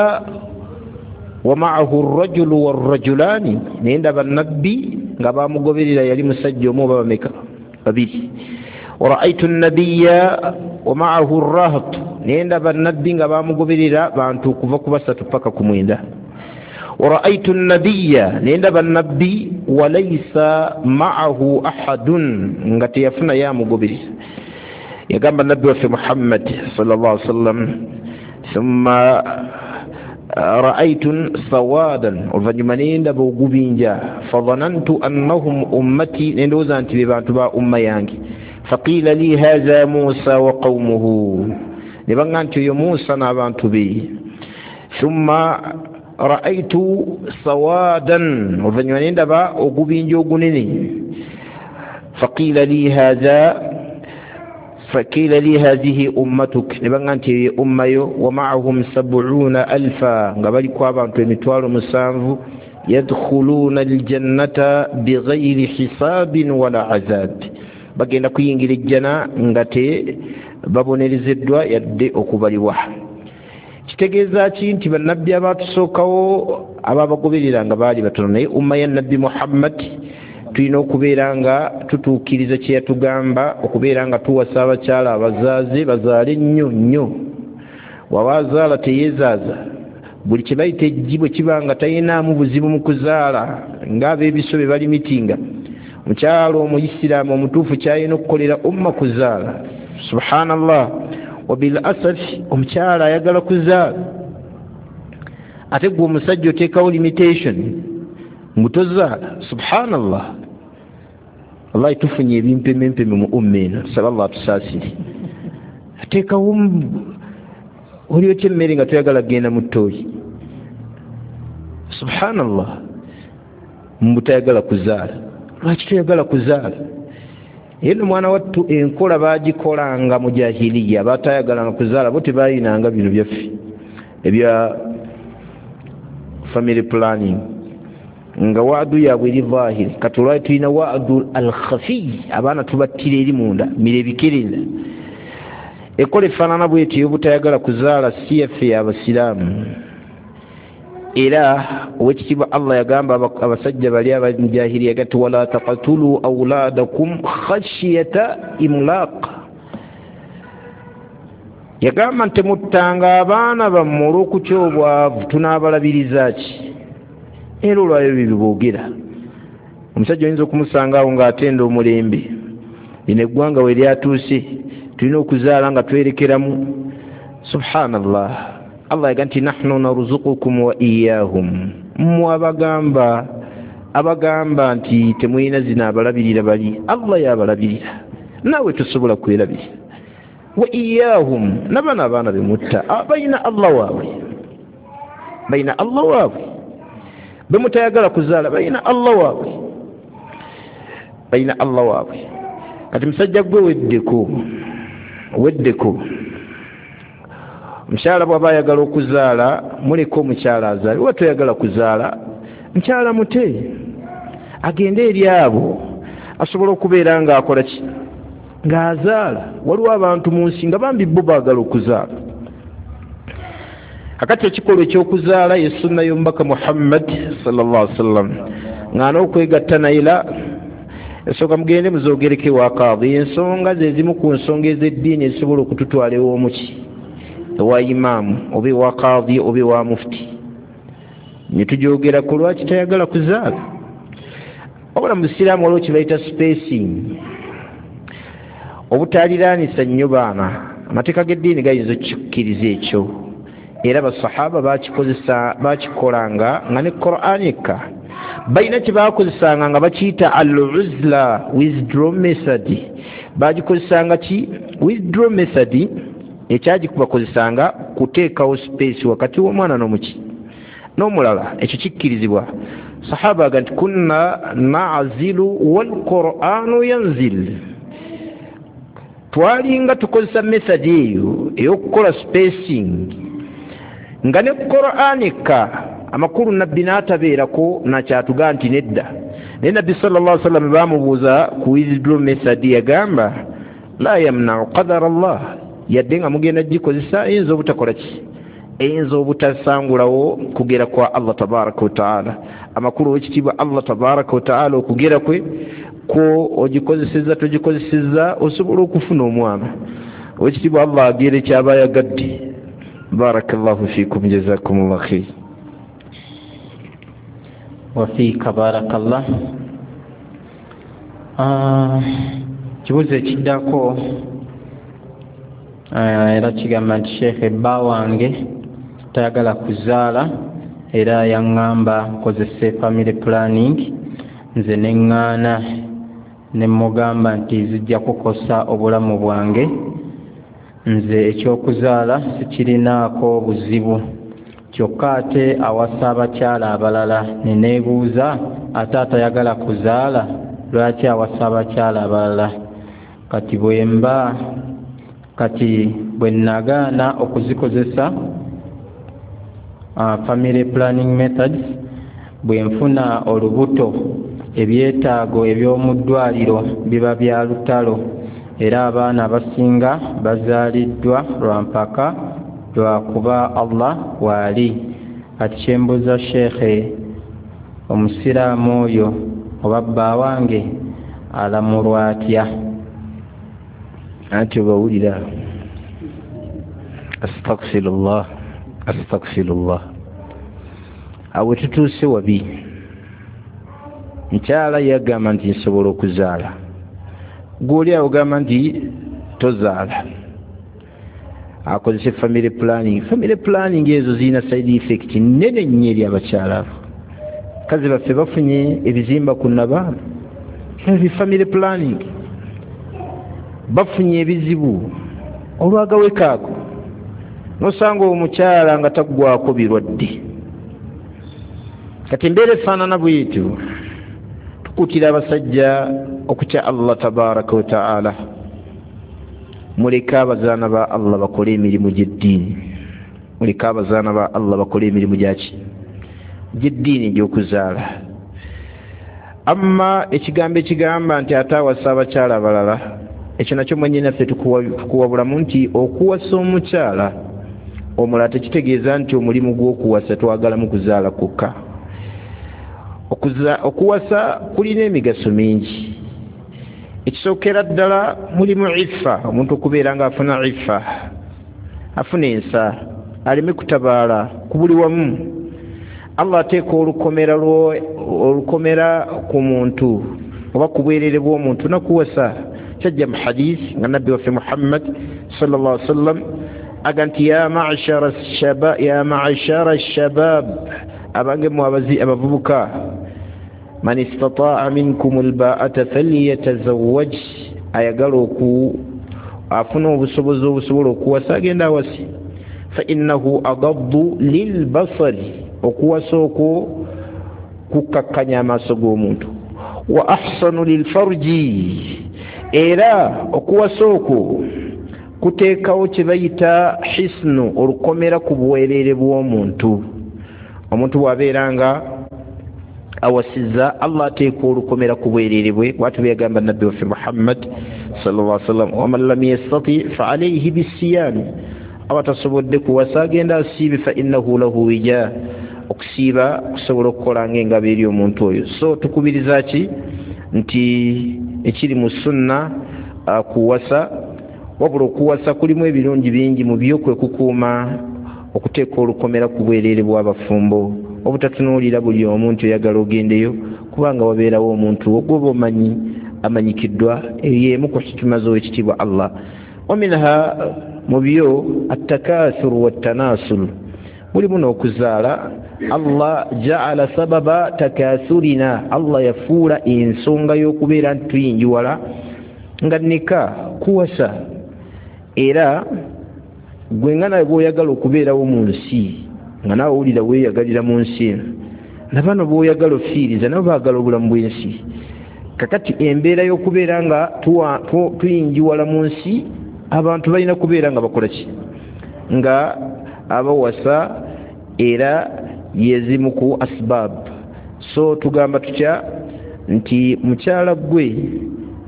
wa ma'ahu ar-rajulu war-rajulani, naye ndaba nabbi nga bamugoberera yali musajja omu oba bameka babiri. Wara'aytu an-nabiyya wa ma'ahu ar-raht, naye ndaba nabbi nga bamugoberera bantu kuva ku basatu paka ku mwenda. Wara'aytu an-nabiyya, naye ndaba nabbi walaysa ma'ahu ahadun, nga teyafuna yamugoberera. Yagamba nabbi waffe Muhammad sallallahu alaihi wasallam thumma ra'aytu sawadan, oluvannyuma ne ndaba ogubinja, fadhanantu annahum ummati, ne ndowooza nti be bantu ba umma yange. Faqila li hadha Musa wa qawmuhu, ne baŋŋamba nti oyo Musa n'abantu be. Thumma ra'aytu sawadan, oluvannyuma ne ndaba ogubinja ogunene. Faqila li hadha faqila li hadhihi ummatuk, ne baŋŋamba nti eyo umma yo. Wa ma'ahum sab'una alfa, nga baliko abantu emitwalo musanvu, yadkhuluna aljannata bighayri hisabin wala azab, bagenda kuyingira ejjana nga te babonerezeddwa yadde okubalibwa. Kitegeeza ki nti bannabbi abatusookawo ababagoberera nga baali batono, naye umma ya Nabbi Muhammad tulina okubeera nga tutuukiriza kye yatugamba, okubeera nga tuwasa abakyala abazaaze bazaale nnyo nnyo. Waba azaala teyeezaaza, buli kye bayita eggi bwe kiba nga talinaamu buzibu mu kuzaala ng'abeebiso be bali mitinga. Omukyala omuyisiraamu omutuufu kyalina okukolera umma kuzaala. Subhanallah, wabil asaf omukyala ayagala kuzaala, ate gwe omusajja oteekawo limitation mutozaala. Subhanallah, wallahi tufunye ebimpemempeme mu umma eno, tusaba Allah atusaasire. Ateekawo oli otya emmere nga toyagala kugenda mu ttooyi. Subhanallah, mbu tayagala kuzaala. Lwaki toyagala kuzaala? Era no mwana wattu enkola baagikolanga mu jahiliya, batayagalanga kuzaala bo tebaayinanga bino byaffe ebya family planning, nga waadu yaabwe eri zahiri. Kati olwali tulina waadu al-khafi, abaana tubattira eri munda mira ebikerenda. Ekola efaanana bwetyo ey'obutayagala kuzaala si yaffe y'abasiraamu. Era owekitiibwa Allah yagamba abasajja bali abamujahiliya gati wala taqatulu awladakum khashiyata imlaq, yagamba nti temuttanga abaana bammwe olw'okutya obwavu, tunaabalabiriza ki? Era olwayo bye boogera. Omusajja oyinza okumusanga awo ng'atenda omulembe, lino eggwanga we lyatuuse tulina okuzaala nga twerekeramu. Subhanallah, Allah yaga nti nahnu narzuqukum wa iyahum, mmwe abagamba abagamba nti temulina zino abalabirira bali, Allah yabalabirira, naawe tosobola kwerabirira. Wa iyahum, n'abaana abaana bemutta balina Allah waabwe, balina Allah waabwe, bemutayagala kuzaala balina Allah waabwe, balina Allah waabwe. Kati musajja gwe weddeko, weddeko. Omukyala bw'aba ayagala okuzaala muleke omukyala azaale, oba toyagala kuzaala mukyala mute agende eri abo asobola okubeera ng'akola ki, ng'azaala. Waliwo abantu mu nsi nga bambi bo baagala okuzaala. Akati ekikolwa ekyokuzaala ye sunna y'omubaka Muhammad sallallahu alaihi wasallam, ng'ana okwegatta naye la Ensonga mugende muzogereko ewa kaadi. Ensonga ze zimu ku nsonga ez'eddiini ezisobola okututwala ew'omuki, ewa imaamu oba ewa kaadi oba ewa mufuti, ne tujogera ku lwaki tayagala kuzaala. Wabula mu busiraamu waliwo kye bayita spacing, obutaliraanisa nnyo baana. Amateeka g'eddiini gayinza okukikkiriza ekyo, era basahaba bakikozesa, bakikolanga nga ne Qur'an ekka balina kye bakozesanga nga bakiyita al-uzla, withdraw method. Bagikozesanga ki? Withdraw method ekyagikubakozesanga kuteekawo space wakati w'omwana n'omuki n'omulala. Ekyo kikkirizibwa. Sahaba aga nti kunna na'zilu wal Qur'anu yanzil, twalinga tukozesa method eyo ey'okukola spacing nga ne Qur'an ekka. Amakulu nabbi n'atabeerako nakyatuga nti nedda. Naye nabbi sallallahu alaihi wasallam bamubuuza ku withdraw method, yagamba la yamna'u qadara Allah, yadde nga mugenda gikozesa eyinza obutakola ki, eyinza obutasangulawo kugera kwa Allah tabaraka wa taala. Amakulu w'ekitiibwa Allah tabaraka wa taala okugera kwe kwo ogikozesezza togikozesezza osobola okufuna omwana. Owekitiibwa Allah agere kyaba yagadde. Barakallahu fikum, jazakumullah khair. Wafiika barakallah. Kibuuzo ekiddako era kigamba nti sheekhe bba wange tayagala kuzaala era yaŋŋamba nkozese family planning, nze ne ŋŋaana ne mugamba nti zijja kukosa obulamu bwange, nze ekyokuzaala sikirinaako buzibu, kyokka ate awasa abakyala abalala. Ne neebuuza ate atayagala kuzaala lwaki awasa abakyala abalala? Kati bwe mba kati bwe nagaana okuzikozesa uh, family planning methods, bwe nfuna olubuto ebyetaago eby'omu ddwaliro biba bya lutalo, era abaana abasinga bazaaliddwa lwa mpaka lwa kuba Allah waali. Kati kyembuuza sheekhe, omusiraamu oyo oba bba wange alamulwa atya? Anti obawulira, astaghfirullah, astaghfirullah. Awo tutuuse wabi. Mukyala yagamba nti nsobola okuzaala, gw'oli awo ogamba nti tozaala, akozese family planning. Family planning ezo zirina side effect nnene nnyo eri abakyala abo. Kazi baffe bafunye ebizimba ku nabaana, family planning bafunye ebizibu olwagaweka ako. Nosanga omukyala nga taggwako birwadde. Kati embeera efaanana bwetyo, tukuutira abasajja okutya Allah tabaraka wa taala. Muleke abazaana ba Allah bakole emirimu gy'eddiini, muleke abazaana ba Allah bakole emirimu gyaki gy'eddiini egy'okuzaala. Amma ekigambo ekigamba nti ate awasa abakyala abalala, ekyo nakyo mwennyinaffe tukuwabulamu nti okuwasa omukyala omulala tekitegeeza nti omulimu gw'okuwasa twagalamu kuzaala kwokka. Okuwasa kulina emigaso mingi. Ekisookera ddala mulimu iffa, omuntu okubeera ng'afuna iffa, afuna ensa, aleme kutabaala ku buli wamu. Allah ateeka olukomera olukomera ku muntu oba ku bwerere bw'omuntu nakuwasa. Kyajja mu hadith nga nabbi waffe Muhammad sallallahu alaihi wasallam aga nti ya ma'shara shabab, ya ma'shara shabab, abange mu abazi abavubuka, man istata'a minkum alba'ata falyatazawwaj, ayagala oku afuna obusobozi obusobola okuwasa agenda awasi, fa innahu agaddu lilbasari, okuwasa okwo kukkakkanya amaaso g'omuntu, wa ahsanu lilfarji, era okuwasa okwo kuteekawo kye bayita hisnu, olukomera ku bwerere bw'omuntu. Omuntu bw'abeera nga awasizza, Allah ateeka olukomera ku bwerere bwe. Bw'atyo bwe yagamba nabbi waffe Muhammad sallallahu alaihi wasallam, waman lam yastati fa alayhi bisiyami, aba tasobodde kuwasa agenda asiibe, fa innahu lahu wija, okusiiba kusobola okukola ng'engabo eri omuntu oyo. So tukubiriza ki Nti ekiri mu sunna kuwasa, wabula okuwasa kulimu ebirungi bingi. Mu byo kwe kukuuma okuteeka olukomera ku bwereere bw'abafumbo, obutatunuulira buli omu nti oyagala ogendeyo, kubanga wabeerawo omuntu ogwoba omanyi amanyikiddwa. Eyo emu ku hikima z'owekitiibwa Allah. Wa minha, mu byo, attakathuru wattanasulu, mulimu n'okuzaala. Allah jaala sababa takathurina, Allah yafuula ensonga y'okubeera nti tuyinjiwala nga nika kuwasa. Era gwe nga nawe bw'oyagala okubeerawo mu nsi, nga naawe owulira weeyagalira mu nsi eno, na bano bw'oyagala ofiiriza nabo baagala obulamu bw'ensi. Kakati embeera y'okubeera nga tuyinjiwala mu nsi, abantu balina kubeera nga bakola ki? Nga abawasa, era yezimu ku asbab. So tugamba tutya nti mukyala gwe,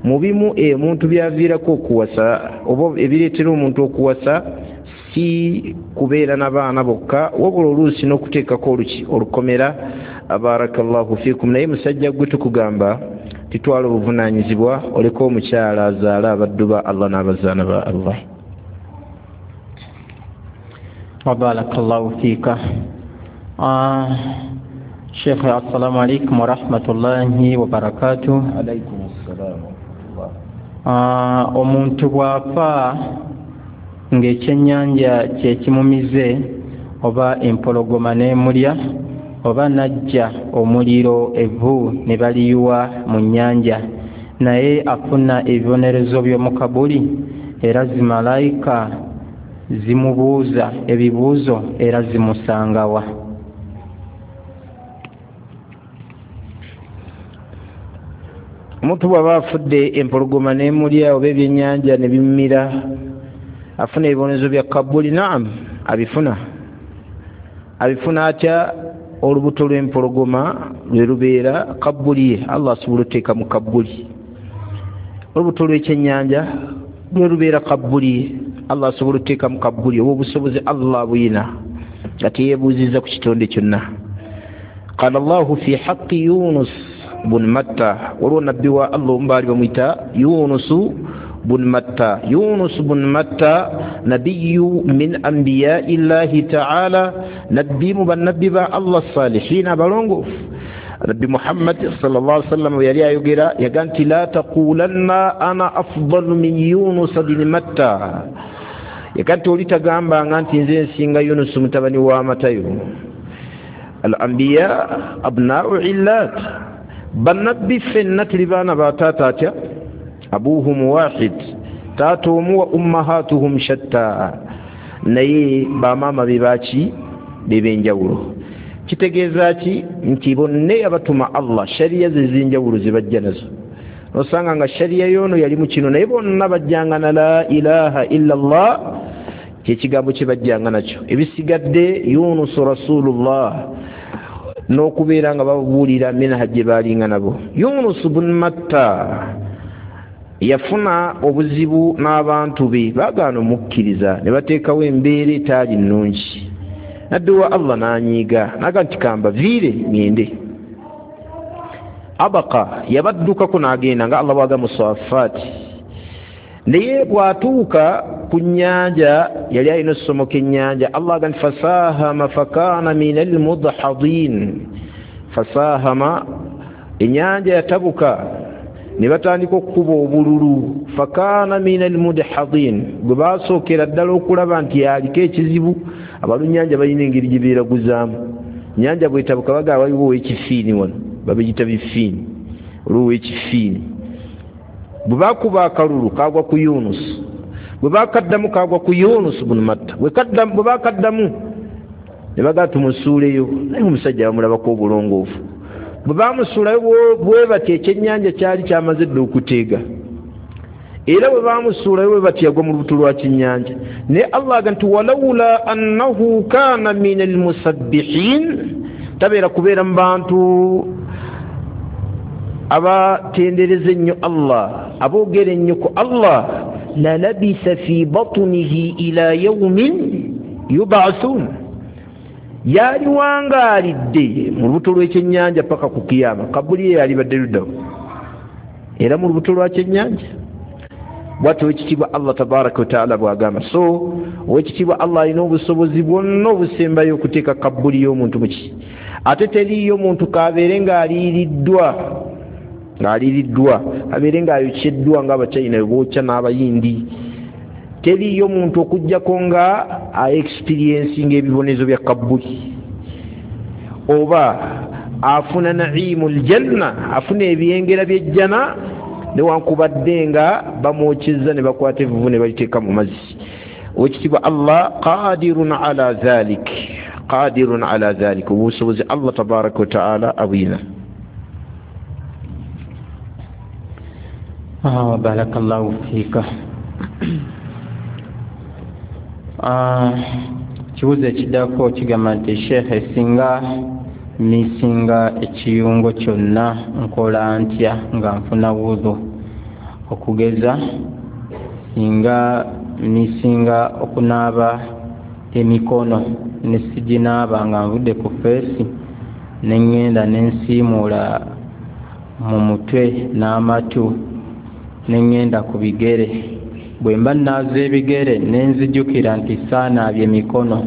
mu bimu emuntu byaviirako okuwasa oba ebireetera omuntu okuwasa si kubeera n'abaana bokka, wabula oluusi n'okuteekako oluki olukomera. Barakallahu fikum. Naye musajja gwe tukugamba titwala obuvunaanyizibwa, oleke omukyala azaale abaddu ba Allah n'abazaana ba Allah. Wabarakallahu fiika. Sheikh, assalamu alaikum warahmatullahi wabarakatuh. Alaikum assalam. Omuntu bw'afa ng'ekyennyanja kye kimumize oba empologoma n'emulya oba najja omuliro evvu ne baliyuwa mu nnyanja, naye afuna ebibonerezo by'omu kabuli, era zimalayika zimubuuza ebibuuzo era zimusangawa? Omuntu bw'aba afudde empologoma n'emulya oba ebyennyanja ne bimumira, afuna ebibonerezo bya kabuli? Naam, abifuna. Abifuna atya? Olubuto lw'empologoma lwe lubeera kabuli ye, Allah asobola oteeka mu kabuli. Olubuto lw'ekyennyanja lwe lubeera kabuli ye, Allah asobola oteeka mu kabuli. Oba obusobozi Allah buyina nga teyeebuuzizza ku kitonde kyonna. Qala Allahu fi haqqi Yunus bun Matta, waliwo nabbi wa Allah omu baali bamuyita Yunusu bun Matta. Yunus bun Matta nabiyyu min anbiyai llahi taala, nabbi mu bannabbi ba Allah salihina abalongoofu. Nabbi Muhammad sallallahu alaihi wasallam yali ayogera, yaga nti la taqulanna ana afdalu min Yunus bin Matta, yaga nti oli tagambanga nti nze nsinga Yunus mutabani wa Matayo. Al anbiya abna'u illat, bannabbi ffenna tuli baana ba taata atya? Abuhum wahid, taata omu, wa ummahatuhum shatta, naye bamaama be baki? Beb'enjawulo. Kitegeeza ki? Nti bonna yabatuma Allah shariya ze z'enjawulo ze bajja nazo. Osanga nga shariya y'ono yali mu kino, naye bonna bajjanga na la ilaha illa Allah, kyekigambo kye bajjanga nakyo. Ebisigadde Yunus rasulullah n'okubeera nga babuulira minhaj gye baalinga nabo. Yunus bun Matta yafuna obuzibu n'abantu be, baagaana omukkiriza ne bateekawo embeera etaali nnungi. Nabbi wa Allah n'anyiiga n'agamba nti kamba viire ŋŋende. Abaka yabaddukako n'agenda nga Allah bw'agamba mu Safaati. Naye bw'atuuka ku nnyanja, yali alina ossomoka ennyanja, Allah agamba nti fasahama fakana min almudhadin. Fasahama, ennyanja yatabuka ne batandika okukuba obululu. Fakana min almudhadin, gwe baasookera ddala okulaba nti yaliko ekizibu. Abalunnyanja balina engeri gye beeraguzaamu. Nnyanja bw'etabuka bagamba waliwo ow'ekifiini wano, babiyita bifiini, olwo ow'ekifiini. Bwe baakuba akalulu kaagwa ku Yunus, bwe baakaddamu kaagwa ku Yunus bun Matta, bwe baakaddamu ne bagamba tumusuuleyo, naye omusajja bamulabako obulongoofu. Bwe baamusuulayo bwe batyo ekyennyanja kyali kyamaze dda okuteega, era bwe baamusuulayo bwe batyo yagwa mu lubuto lwa kinnyanja. Naye Allah agamba nti walawula annahu kaana min almusabbihin, tabeera kubeera mu bantu abatendereza ennyo Allah, aboogera ennyo ku Allah, la labisa fi batnihi ila yawmin yub'athun, yali wangaalidde mu lubuto lw'ekyennyanja paka ku kiyama. Kabuli ye yalibadde luddawo. Era mu lubuto lwa kyennyanja. Bwatyo owekitiibwa Allah tabaraka wataala bwagamba. So owekitiibwa Allah alina obusobozi bwonna obusembayo okuteeka kabbuli y'omuntu muki. Ate teriiyo muntu kabeere ng'aliiriddwa ng'aliiriddwa abeere ng'ayokyeddwa ng'abachina bookya n'abayindi. Teriiyo muntu okuggyako nga aexperiencing ebibonezo bya kabbuli oba afuna naimu ljanna, afuna ebyengera by'ejjana newankubadde nga bamwokyezza ne bakwata evvuvu ne baliteeka mu mazzi. Owekitiibwa Allah qadirun ala dhalik, qadirun ala dhalik, obusobozi Allah tabaraka wa taala abwina. Ah, barakallahu fiika. Ah, kibuuzo ekiddako kigamba nti sheekhe, singa misinga ekiyungo kyonna nkola ntya nga nfuna wudhu? Okugeza singa misinga okunaaba emikono ne siginaaba nga nvudde ku feesi ne ŋŋenda ne nsiimuula mu mutwe n'amatu ne ŋŋenda ku bigere, bwe mba nnaaza ebigere ne nzijukira nti saanaabye emikono,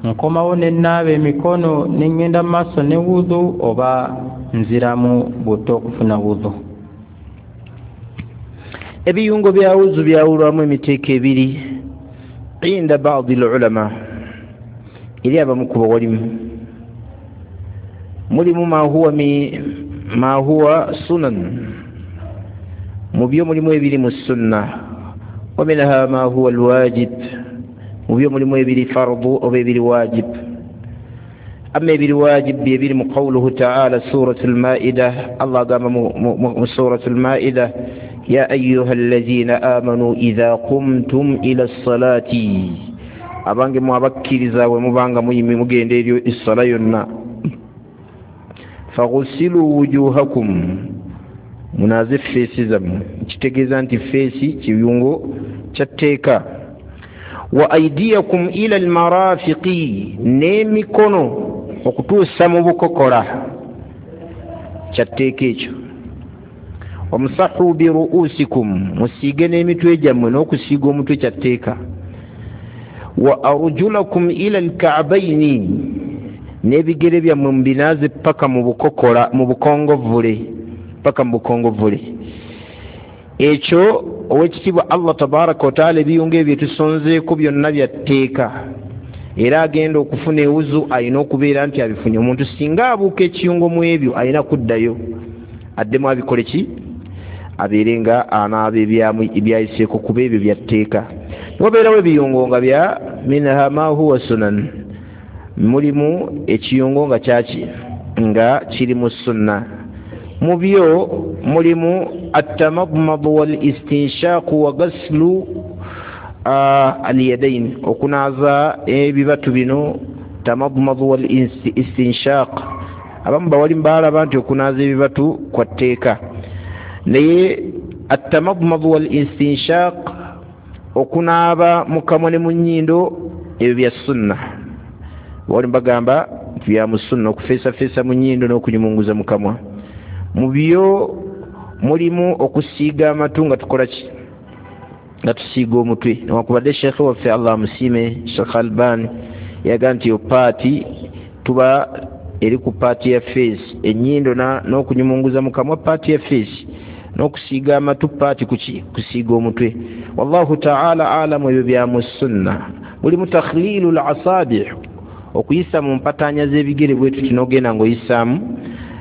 nkomawo ne nnaaba emikono ne ŋŋenda mu maaso ne wudhu oba nziramu buto okufuna wudhu? Ebiyungo bya wuzu byawulwamu emiteeko ebiri inda baadi lulama, eri abamu ku bawalimu. Mulimu ma huwa mi ma huwa sunan, mu byo mulimu ebiri mu sunna, wa minha ma huwa alwajib, mu byo mulimu ebiri fardu oba ebiri wajib. Amma ebiri wajib byebiri mu qawluhu taala suratu lmaida. Allah agamba mu suratu lmaida, ya ayuha allazina amanu idha qumtum ila ssalati, abange mu abakkiriza bwe mubanga muyimi mugenda eri essala yonna, faghusilu wujuhakum, munaaze feesi zammwe. Kitegeeza nti feesi kiyungo kya tteeka. Wa aidiyakum ila almarafiqi, n'emikono okutuusa mu bukokola, kya tteeka ekyo. Wamsahu biruusikum, musiige n'emitwe gyammwe, n'okusiiga omutwe kya tteeka. Wa arjulakum ila alka'baini, n'ebigere byammwe mubinaaze paka mu bukokola, mu bukongovvule, paka mu bukongovvule. Ekyo owekitiibwa Allah tabaraka wataala ebiyungo ebyo tusonzeeko byonna bya tteeka. Era agenda okufuna ewuzu alina okubeera nti abifunye. Omuntu singa abuuka ekiyungo mu ebyo alina kuddayo addemu abikole ki, abeere nga anaaba ebyayiseeko, kuba ebyo bya tteeka. Wabeerawo ebiyungo nga bya minha ma huwa sunan, mulimu ekiyungo nga kyaki nga kiri mu sunna. Mu byo mulimu attamadmadu wal istinshaku wa gaslu alyadain, okunaaza ebibatu bino, tamadmadu wal istinshaq. Abamu bawalimu baalaba nti okunaaza ebibatu kwa tteeka, naye attamadmadu wal istinshaq, okunaaba mu kamwa ne mu nnyindo, ebyo bya sunna. Bawalimu bagamba nti bya mu sunna okufeesafeesa mu nnyindo n'okunyumunguza mu kamwa. Mu byo mulimu okusiiga amatu nga tukola ki, nga tusiiga omutwe. Newankubadde sheekhe waffe Allah amusiime, Sheekh Albani, yaga nti paati tuba eri ku paati ya feesi, ennyindo n'okunyumunguza mu kamwa paati ya feesi, n'okusiiga amatu paati kuki, kusiiga omutwe. Wallahu taala alamu, ebyo bya mu sunna. Mulimu takhlilu lasabi, okuyisa mu mpataanya z'ebigere bwe tuti n'ogenda ng'oyisaamu,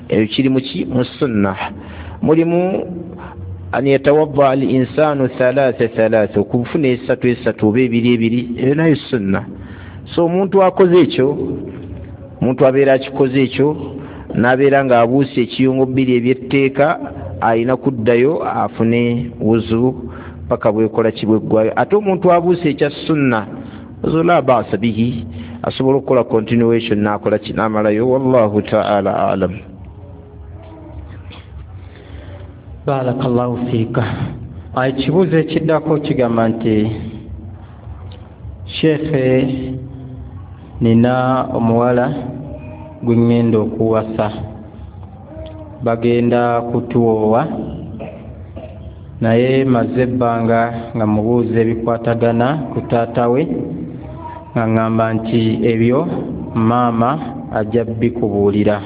ebyo kiri muki, mu sunna. Mulimu an yatawadda al insanu thalatha thalatha, okufuna esatu esatu oba ebiri ebiri, ebyo nayo sunna. So omuntu akoze ekyo, omuntu abeera akikoze ekyo n'abeera ng'abuuse ekiyungo bbiri ebyetteeka, alina kuddayo afune wuzu paka bwekola ki, bweggwayo. Ate omuntu abuuse ekya sunna, wuzu la ba'sa bihi, asobola okukola continuation n'akola ki, n'amalayo. Wallahu taala alam. Barakallahu fiika. Ekibuuzo ekiddako kigamba nti sheekhe, nina omuwala gwe ŋŋenda okuwasa, bagenda kutuwoowa Naye maze ebbanga nga mubuuza ebikwatagana ku taata we, nga ŋŋamba nti ebyo maama ajja bikubuulira.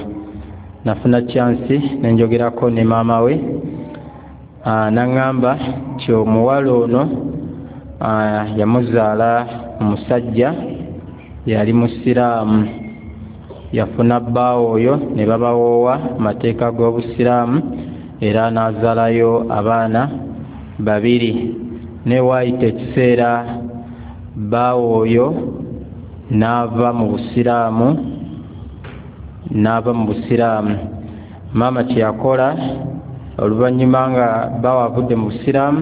Nafuna chance ne njogerako ne maama we, n'aŋŋamba nti omuwala ono yamuzaala omusajja yali musiraamu, yafuna bbaawe oyo ne babawoowa mateeka g'obusiraamu era n'azaalayo abaana babiri. Ne waayita ekiseera bbaawe oyo n'ava mu busiraamu n'ava mu busiraamu. Maama kye yakola oluvannyuma nga bbaawe avudde mu busiraamu,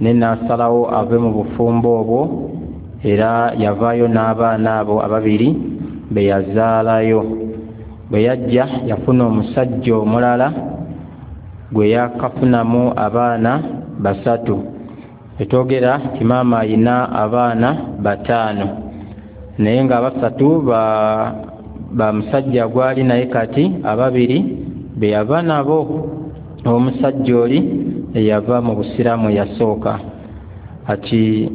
ne n'asalawo ave mu bufumbo obwo, era yavaayo n'abaana abo ababiri be yazaalayo. Bwe yajja yafuna omusajja omulala gwe yakafunamu abaana basatu. Etwogera nti maama ayina abaana bataano, naye nga abasatu ba ba musajja gwali naye kati ababiri be yava nabo omusajja oli eyava mu busiraamu yasooka. Ati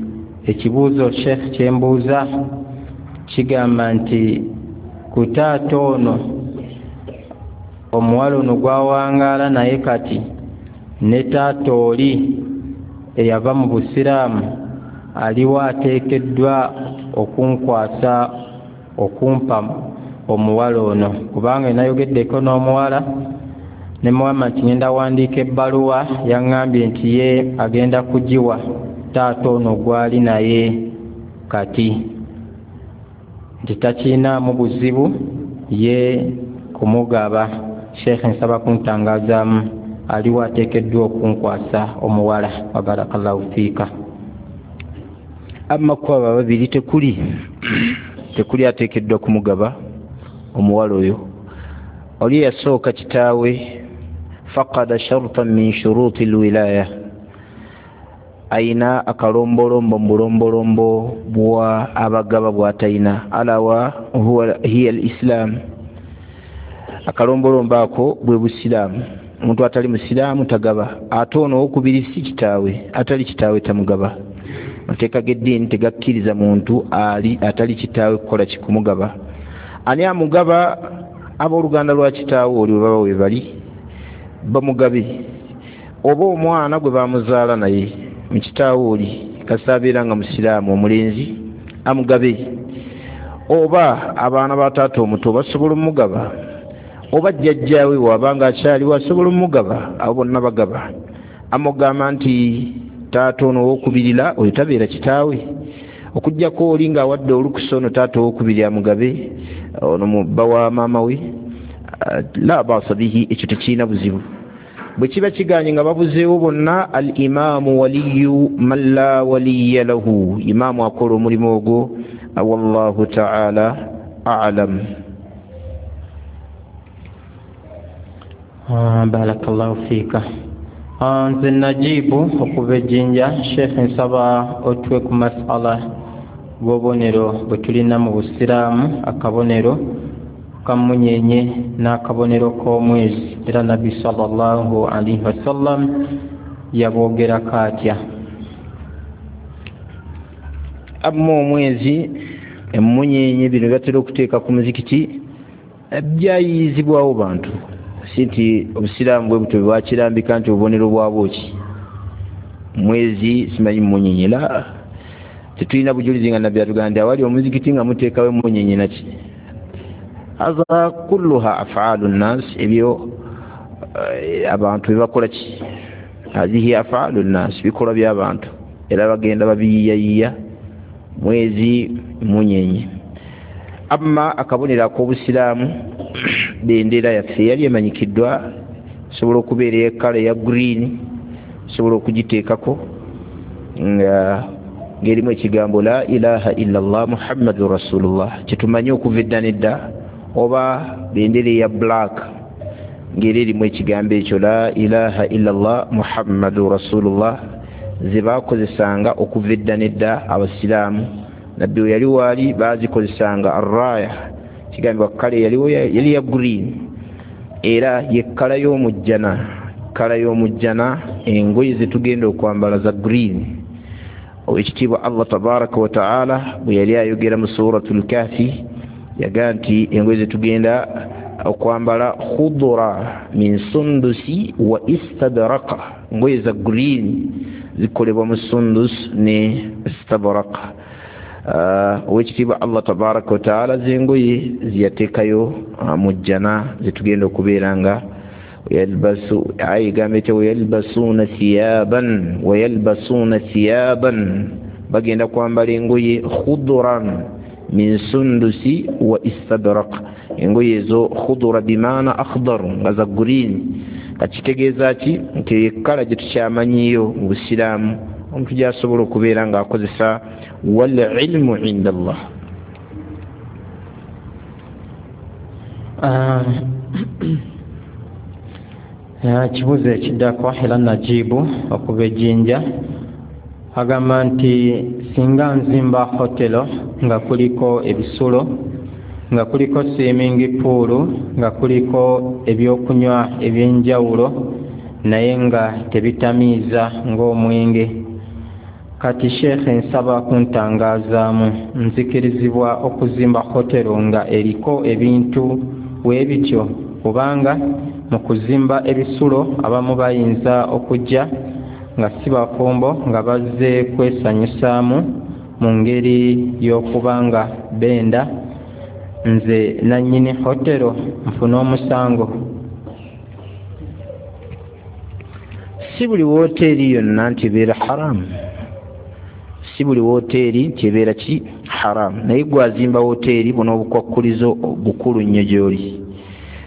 ekibuuzo Sheikh kyembuuza kigamba nti ku taata ono omuwala ono gwawangaala naye kati ne taata oli eyava mu busiraamu aliwo ateekeddwa okunkwasa okumpa omuwala ono, kubanga nayogeddeko n'omuwala ne muwama nti ngenda wandiika ebbaluwa, yaŋŋambye nti ye agenda kugiwa taata ono gwali naye kati, nti takiinaamu buzibu ye kumugaba. Sheikh nsaba kuntangazaamu aliwo ateekeddwa okunkwasa omuwala. Wa barakallahu fiika. Amma ku abo ababiri tekuli tekuli ateekeddwa kumugaba omuwala oyo. Oli yasooka kitaawe faqada shartan min shuruti lwilaya, ayina akalombolombo mu bulombolombo bwa abagaba bw'atayina, alawa huwa hiya al-islam. Akalombolombo ako bwe busiraamu, omuntu atali musiraamu tagaba. Ate ono owokubiri si kitaawe, atali kitaawe tamugaba. Amateeka g'eddiini tegakkiriza muntu ali atali kitaawe kukola kikumugaba. Ani amugaba? Abooluganda lwa kitaawe oli bwe baba we bali bamugabe, oba omwana gwe bamuzaala naye mu kitaawe oli kasita abeera nga musiraamu omulenzi amugabe, oba abaana ba taata omuto basobola omugaba, oba jjajjaawe wabanga akyaliwo asobola omugaba, abo bonna bagaba. Amugamba nti taata ono owokubirira oyo tabeera kitaawe, okuggyako oli ng'awadde olukusa ono taata owokubiri amugabe, ono bba wa maama we, la baasa bihi, ekyo tekirina buzibu. Bwe kiba kiganye nga babuzeewo bonna, al imaamu waliyu man la waliya lahu, imaamu akola omulimu ogwo. Wallahu taala alam. Barakallahu fiika. Nze Najibu okuva ejjinja. Sheikh nsaba otuwe ku masala g'obubonero bwe tulina mu busiraamu, akabonero kamunyenye n'akabonero k'omwezi, era Nabbi sallallahu alaihi wasallam yabwogerako atya? Amma omwezi, emunyenye, bino batera okuteeka ku muzikiti byayiyizibwawo bantu, si nti obusiraamu bwe butyo bwakirambika nti obubonero bwabwo ki mwezi simanyi munyenye. La, tetulina bujulizi nga Nabbi atugamba nti awali omuzikiti nga muteekawo emunyenye naki. Haza kulluha afaalu nnas, ebyo abantu byebakola ki, hazihi afaalu nnas, bikolwa by'abantu, era bagenda babiyiyayiya mwezi munyenye. Amma akabonero ak'obusiraamu bendera yaffe yali emanyikiddwa, sobola okubeera ey'ekkala eya green, sobola okugiteekako nga ng'erimu ekigambo la ilaha illallah muhammadu rasulullah, kyetumanyi okuva edda nedda, oba bendera eya black ng'era erimu ekigambo ekyo la ilaha illallah muhammadu rasulullah, ze baakozesanga okuva edda nedda abasiraamu. Nabbi we yali waali baazikozesanga arraya, kigambibwa kkala yaliwo yali ya green, era ye kkala y'omujjana, kkala y'omujjana Engoye zetugenda okwambala za green. Owekitiibwa Allah tabaraka wa taala bwe yali ayogera mu Suratul Kahfi yagaa nti engoye zetugenda okwambala khudura min sundusi wa istadraqa, ngoye za green zikolebwa mu sundus ne istadraqa. Owekitiibwa Allah tabaraka wa taala zengoye ziyateekayo mu jjana zetugenda okubeera nga yalbasu ayigambye wayalbasuuna thiyaban wayalbasuuna thiyaban, bagenda kwambala engoye khuduran min sundusi wa istadraq. Engoye ezo khudura bimaana akhdar, nga za green. Kakitegeeza ki? Nti ekkala gye tukyamanyiyo mu busiraamu omuntu gyasobola okubeera ng'akozesa. Wal ilmu inda Allah. Ekibuuzo ekiddako era Najibu okuva ejjinja agamba nti singa nzimba hotelo nga kuliko ebisulo, nga kuliko swimming pool, nga kuliko ebyokunywa ebyenjawulo naye nga tebitamiiza ng'omwenge, kati sheekhe nsaba kuntangazaamu, nzikirizibwa okuzimba hotelo nga eriko ebintu weebityo? Kubanga mu kuzimba ebisulo abamu bayinza okujja nga si bafumbo nga bazze kwesanyusaamu mu ngeri y'okuba nga benda, nze nannyini hotelo nfune omusango? Si buli woteeri yonna nti ebeera haramu, si buli woteeri nti ebeera ki haramu. Naye gwazimba woteeri buno obukwakkulizo bukulu nnyo gy'oli.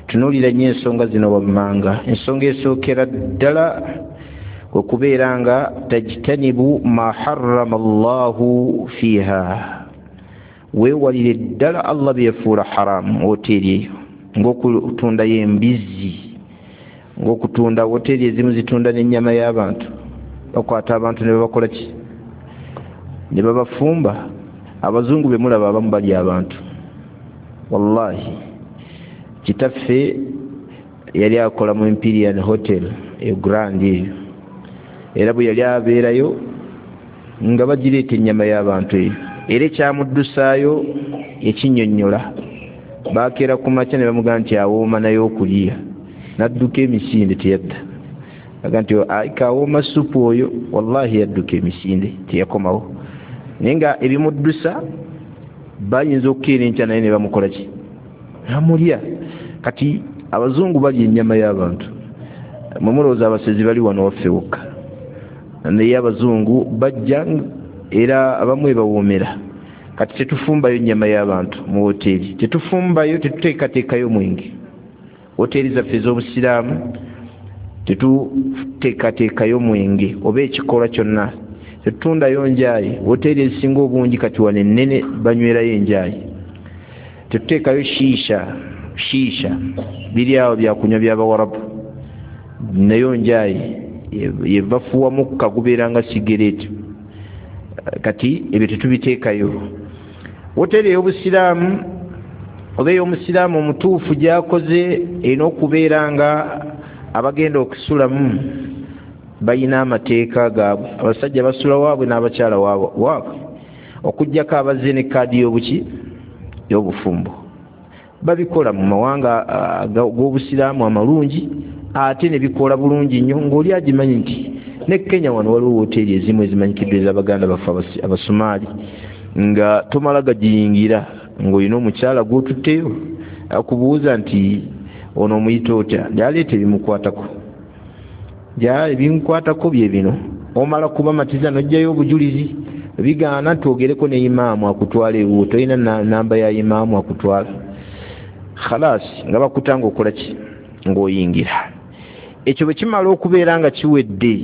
Tunuulira nnyo ensonga zino wammanga. Ensonga esookera ddala kwe kubeera nga tajtanibu ma harrama Allahu fiiha, weewalire ddala Allah byefuula haramu woteeri eyo, ng'okutundayo embizzi, ng'okutunda woteeri ezimu zitunda n'ennyama y'abantu, bakwata abantu ne babakola ki, ne babafumba. Abazungu be mulaba abamu balya abantu. Wallahi kitaffe yali akola mu Imperial Hotel eyo Grand eyo, era bwe yali abeerayo nga bagireeta ennyama y'abantu eyo, era ekyamuddusaayo ekinnyonnyola. Bakeera ku makya ne bamugamba nti awooma naye okulya, n'adduka emisinde teyadda. Aga nti kawooma supu oyo, wallahi yadduka emisinde teyakomawo. Naye nga ebimuddusa bayinza okukeera enkya naye ne bamukola ki, namulya. Kati abazungu balya ennyama y'abantu. Mwe mulowooza abasezi bali wano waffe wokka, naye abazungu bajja era abamu ebawoomera. Kati tetufumbayo ennyama y'abantu mu woteeri, tetufumbayo, tetuteekateekayo mwenge. Woteeri zaffe ez'obusiraamu tetuteekateekayo mwenge oba ekikolwa kyonna, tetutundayo njaayi. Woteeri ezisinga obungi kati wano ennene banywerayo enjaayi. Tetuteekayo shiisha, shiisha biri awo byakunywa by'abawarabu, nayo njaayi yebafuwa mukka gubeera nga sigereeti. Kati ebyo tetubiteekayo. Woteeri ey'obusiraamu oba ey'omusiraamu omutuufu gy'akoze erina okubeera nga abagenda okusulamu balina amateeka gaabwe. Abasajja basula waabwe n'abakyala waabwe, okuggyako abazze ne kaadi y'obuki y'obufumbo. Babikola mu mawanga g'obusiraamu amalungi ate ne bikola bulungi nnyo, ng'oli agimanyi nti ne Kenya wano waliwo woteeri ezimu ezimanyikiddwa ez'abaganda baffe Abasumaali, nga tomala gagiyingira ng'olina omukyala gw'otutteyo akubuuza nti ono omuyita otya, gyaleeta ebimukwatako, gya ebinkwatako bye bino. Omala kubamatiza n'oggyayo obujulizi, bigaana twogereko ne imaamu akutwala ewuwo, tolina namba ya imaamu akutwala, khalas nga bakutanga okola ki, ng'oyingira. Ekyo bwe kimala okubeera nga kiwedde,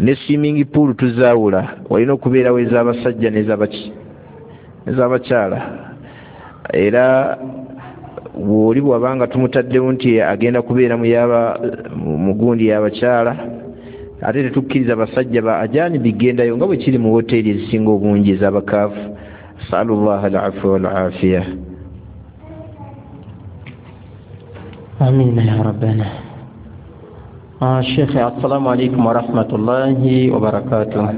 ne swimming pool tuzaawula, walina okubeerawo ez'abasajja n'ez'abaki ez'abakyala. Era bw'oli bw'abanga tumutaddewo nti agenda kubeera mu yaba mugundi y'abakyala, ate tetukkiriza basajja ba ajaani bigendayo nga bwe kiri mu woteeri ezisinga obungi ez'abakaafu. Asalullaha al-afwa wal-afiya. Amina ya rabbana. Ah, Shekhe, assalamu alaikum warahmatullahi wabarakatuh.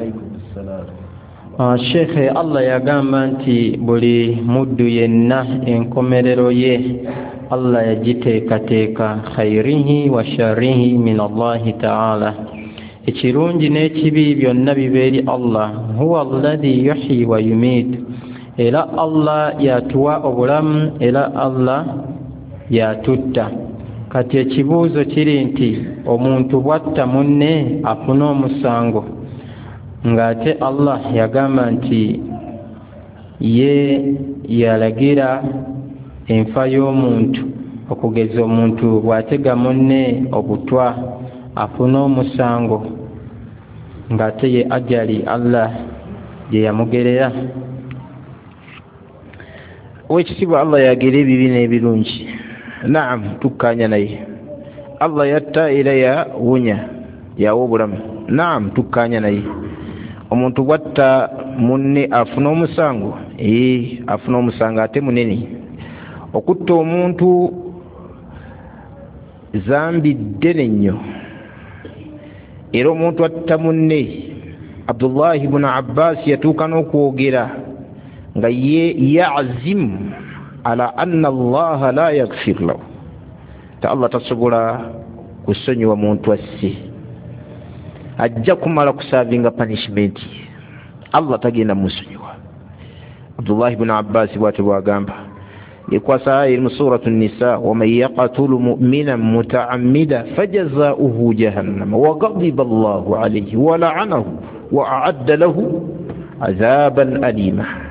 Ah, Shekhe, Allah yagamba nti buli muddu yenna enkomerero ye Allah yagiteekateeka, khairihi wa sharrihi min Allahi taala, ekirungi n'ekibi byonna biba eri Allah. Huwa alladhi yuhyi wa yumiit, era Allah yatuwa obulamu, era Allah yatutta. Kati ekibuuzo kiri nti omuntu bw'atta munne afuna omusango, ng'ate Allah yagamba nti ye yalagira enfa y'omuntu, okugeza omuntu bw'atega munne obutwa afuna omusango, ng'ate ye ajali Allah gye yamugerera. Owekitiibwa, Allah yagera ebibi n'ebirungi. Naam, tukkanya naye. Allah yatta era yawonya, yawa obulamu. Naam, tukkanya naye. Omuntu bwatta munne afuna omusango? Ee, afuna omusango ate munene. Okutta omuntu zambi ddene nnyo, era omuntu atta munne, Abdullahi bunu Abbas yatuuka n'okwogera nga ye yazimu ala anna Allaha la yaghfir lahu, ta Allah tasobola kusonyiwa muntu asse, ajja kumala kusavinga punishment, Allah tagenda musonyiwa. Abdullahi ibn Abbas bw'atyo bw'agamba, yekwasa aya eri mu suratu Nisa, waman yaqtulu mu'minan muta'ammida fajazauhu jahannama wa ghadiba Allahu alayhi wa la'anahu wa a'adda lahu azaban alima.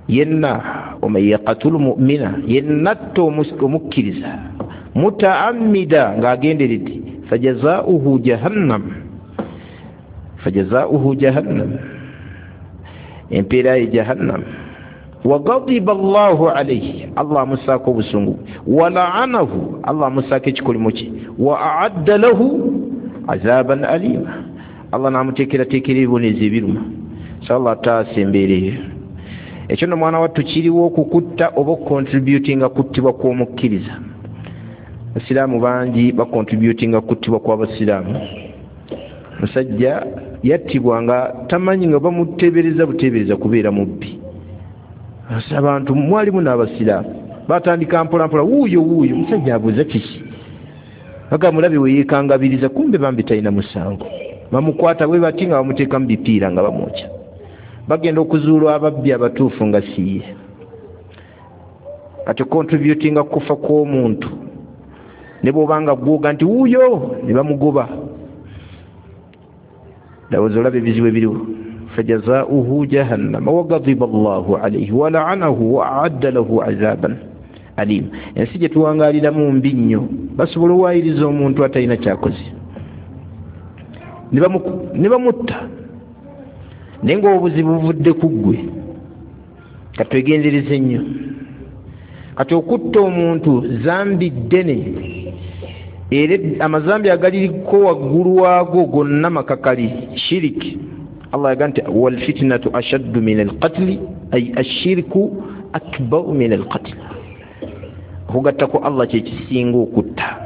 Yenna waman yaqtulu mu'mina, yenna atta omukkiriza muta'ammida, ng'agenderedde, fajazauhu jahannam, fajazauhu jahannam, empeera ye jahannam, wa ghadiba Allahu alayhi, Allah amusaako obusungu, wa la'anahu, Allah amusaako ekikolimo kye, wa a'adda lahu azaban alima, Allah n'amuteekerateekera ebibonezo ebiruma. So Allah ataasa embeera eyo. Ekyo nno mwana wattu kiriwo okukutta oba okucontributinga kuttibwa kw'omukkiriza. Abasiraamu bangi bacontributinga kuttibwa kw'abasiraamu. Musajja yattibwa nga tamanyi, nga bamuteebereza buteebereza kubeera mubbi. Abantu mwalimu n'abasiraamu batandika mpola mpola, wuuyo wuuyo, musajja abuuza kiki, baga mulabe we yeekangabiriza, kumbe bambi talina musango. Bamukwata bwe bati nga bamuteeka mu bipiira nga bamwokya. Bagenda okuzuula ababbi abatuufu nga siye. Kati contributinga kufa kw'omuntu, ne bw'obanga gwoga nti wuuyo, ne bamugoba. Ndowooza olaba ebizibu ebiriwo. Fajazauhu jahannama wa ghadiba Allahu alayhi wa la'anahu wa a'adda lahu azaban alim. Ensi gye tuwangaaliramu mbi nnyo, basobola owaayiriza omuntu atalina kyakoze ne bamutta, naye ng'obuzibu buvudde ku ggwe. Katwegendereze nnyo. Kati okutta omuntu zambi ddene, era amazambi agaliriko waggulu waago gonna makakali, shiriki. Allah yagamba nti wal fitnatu ashaddu min alqatli, ay ashirku akbaru min alqatl. Okugattako Allah kye kisinga okutta.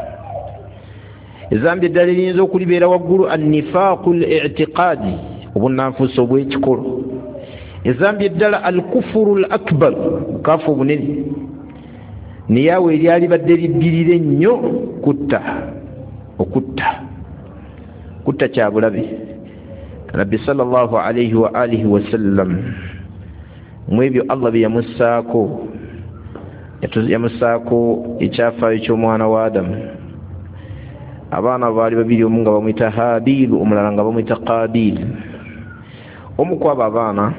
Ezambi eddala eriyinza okulibeera waggulu, annifaaqu al-i'tiqaadi, obunnanfuusi obw'ekikolo. Ezambi eddala al-kufuru al-akbar, bukaafu obunene, naye awo eryali badde liddirira ennyo kutta, okutta kutta kya bulabe. Nabbi sallallahu alayhi wa alihi wasallam mu ebyo Allah bye yamussaako, yamussaako ekyafaayo ky'omwana wa Adamu. Abaana baali babiri, omu nga bamuyita Habil, omulala nga bamuyita Qabil. Omu ku abo abaana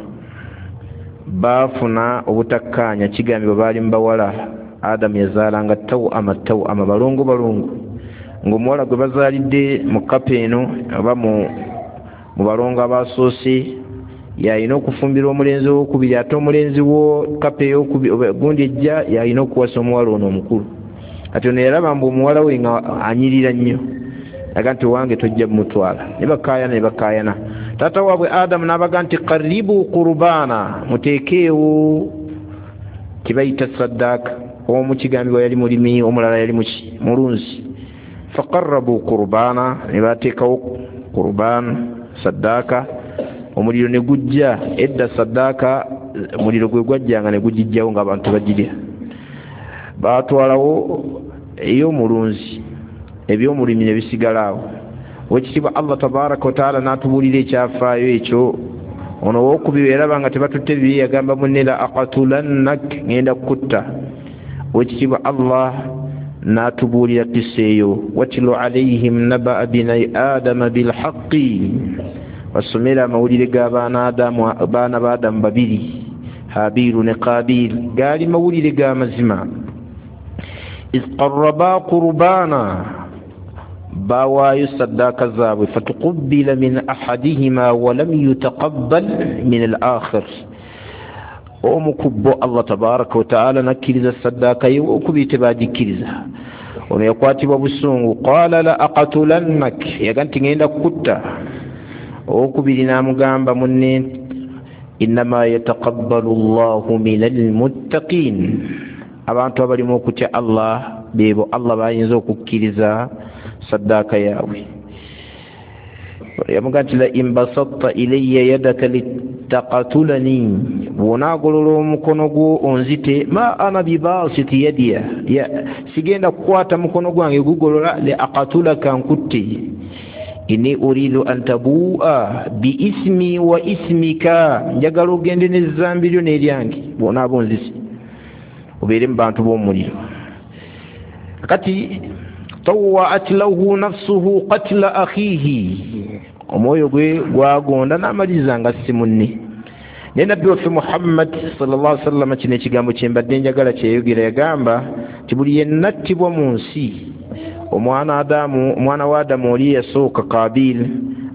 baafuna obutakkaanya, kigambibwa baali mu bawala. Adamu yazaalanga tawama tawama, balongo balongo, ng'omuwala gwe bazaalidde mu kapa eno oba mu balongo abasoose yalina okufumbirwa omulenzi owokubiri, ate omulenzi wo kapa eyokubiri gundi ejja yalina okuwasa omuwala ono omukulu. Kati ono yalaba mbu omuwala we nga anyirira nnyo, aga nti owange tojja mumutwala. Ne bakaayana ne bakaayana. Taata waabwe Adamu n'abaga nti qaribu qurubaana, muteekeewo kibayita saddaaka. Omu kigambibwa yali mulimi, omulala yali muki mulunzi. Faqarrabu qurbana, ne bateekawo qurban saddaaka, omuliro ne gujja. Edda saddaaka omuliro gwe gwajjanga ne gugijjawo ng'abantu bagirya. Baatwalawo ey'omulunzi, eby'omulimi ne bisigala awo. Owekitiibwa Allah tabaraka wataala n'atubuulira ekyafaayo ekyo. Ono owokubiri yaraba nga tebatutte bibye, yagamba munne la aqatulannak, ngenda kukutta. Owekitiibwa Allah n'atubuulira kisa eyo, watlu alaihim nabaa binai adama bilhaqi, basomera amawulire g'abaana baana ba Adamu babiri, Habiiru ne Kabiil, gaali mawulire ga mazima. Iz qarraba qurbaana, bawaayo saddaaka zaabwe, fatuqubbila min ahadihima walam yutaqabbal min al-akhir. Omu ku bo Allah tabaraka wataala nakkiriza saddaaka ye, okubiri tebagikkiriza. Ono yakwatibwa busungu, qala la aqatulannak, yaga nti ngenda kukutta. Owokubiri n'amugamba munne, innama yataqabbalu llahu min almuttaqin, abantu abalimu okutya Allah beebo Allah bayinza okukkiriza saddaaka yaabwe. Yamugamba nti la in basatta ilayya yadaka litaqatulani, bw'onaagolola omukono gwo onzite, ma ana bibasiti yadiya, sigenda kukwata mukono gwange gugolola, li aqatulaka, nkutte. Inni uridu an tabua bi ismi wa ismika, njagala ogende n'ezzambi lyo n'eryange, bw'onaaba onzise obeere mu bantu b'omuliro. Kati tawaat lahu nafsuhu qatla akhihi, omwoyo gwe gwagonda n'amaliriza nga si munne. Naye nabbi waffe Muhammad sallallahu alaihi wasallam kino ekigambo kye mbadde njagala kyeyogera, yagamba nti buli yenna attibwa mu nsi, omwana Adamu, omwana wa Adamu oli yasooka Kabil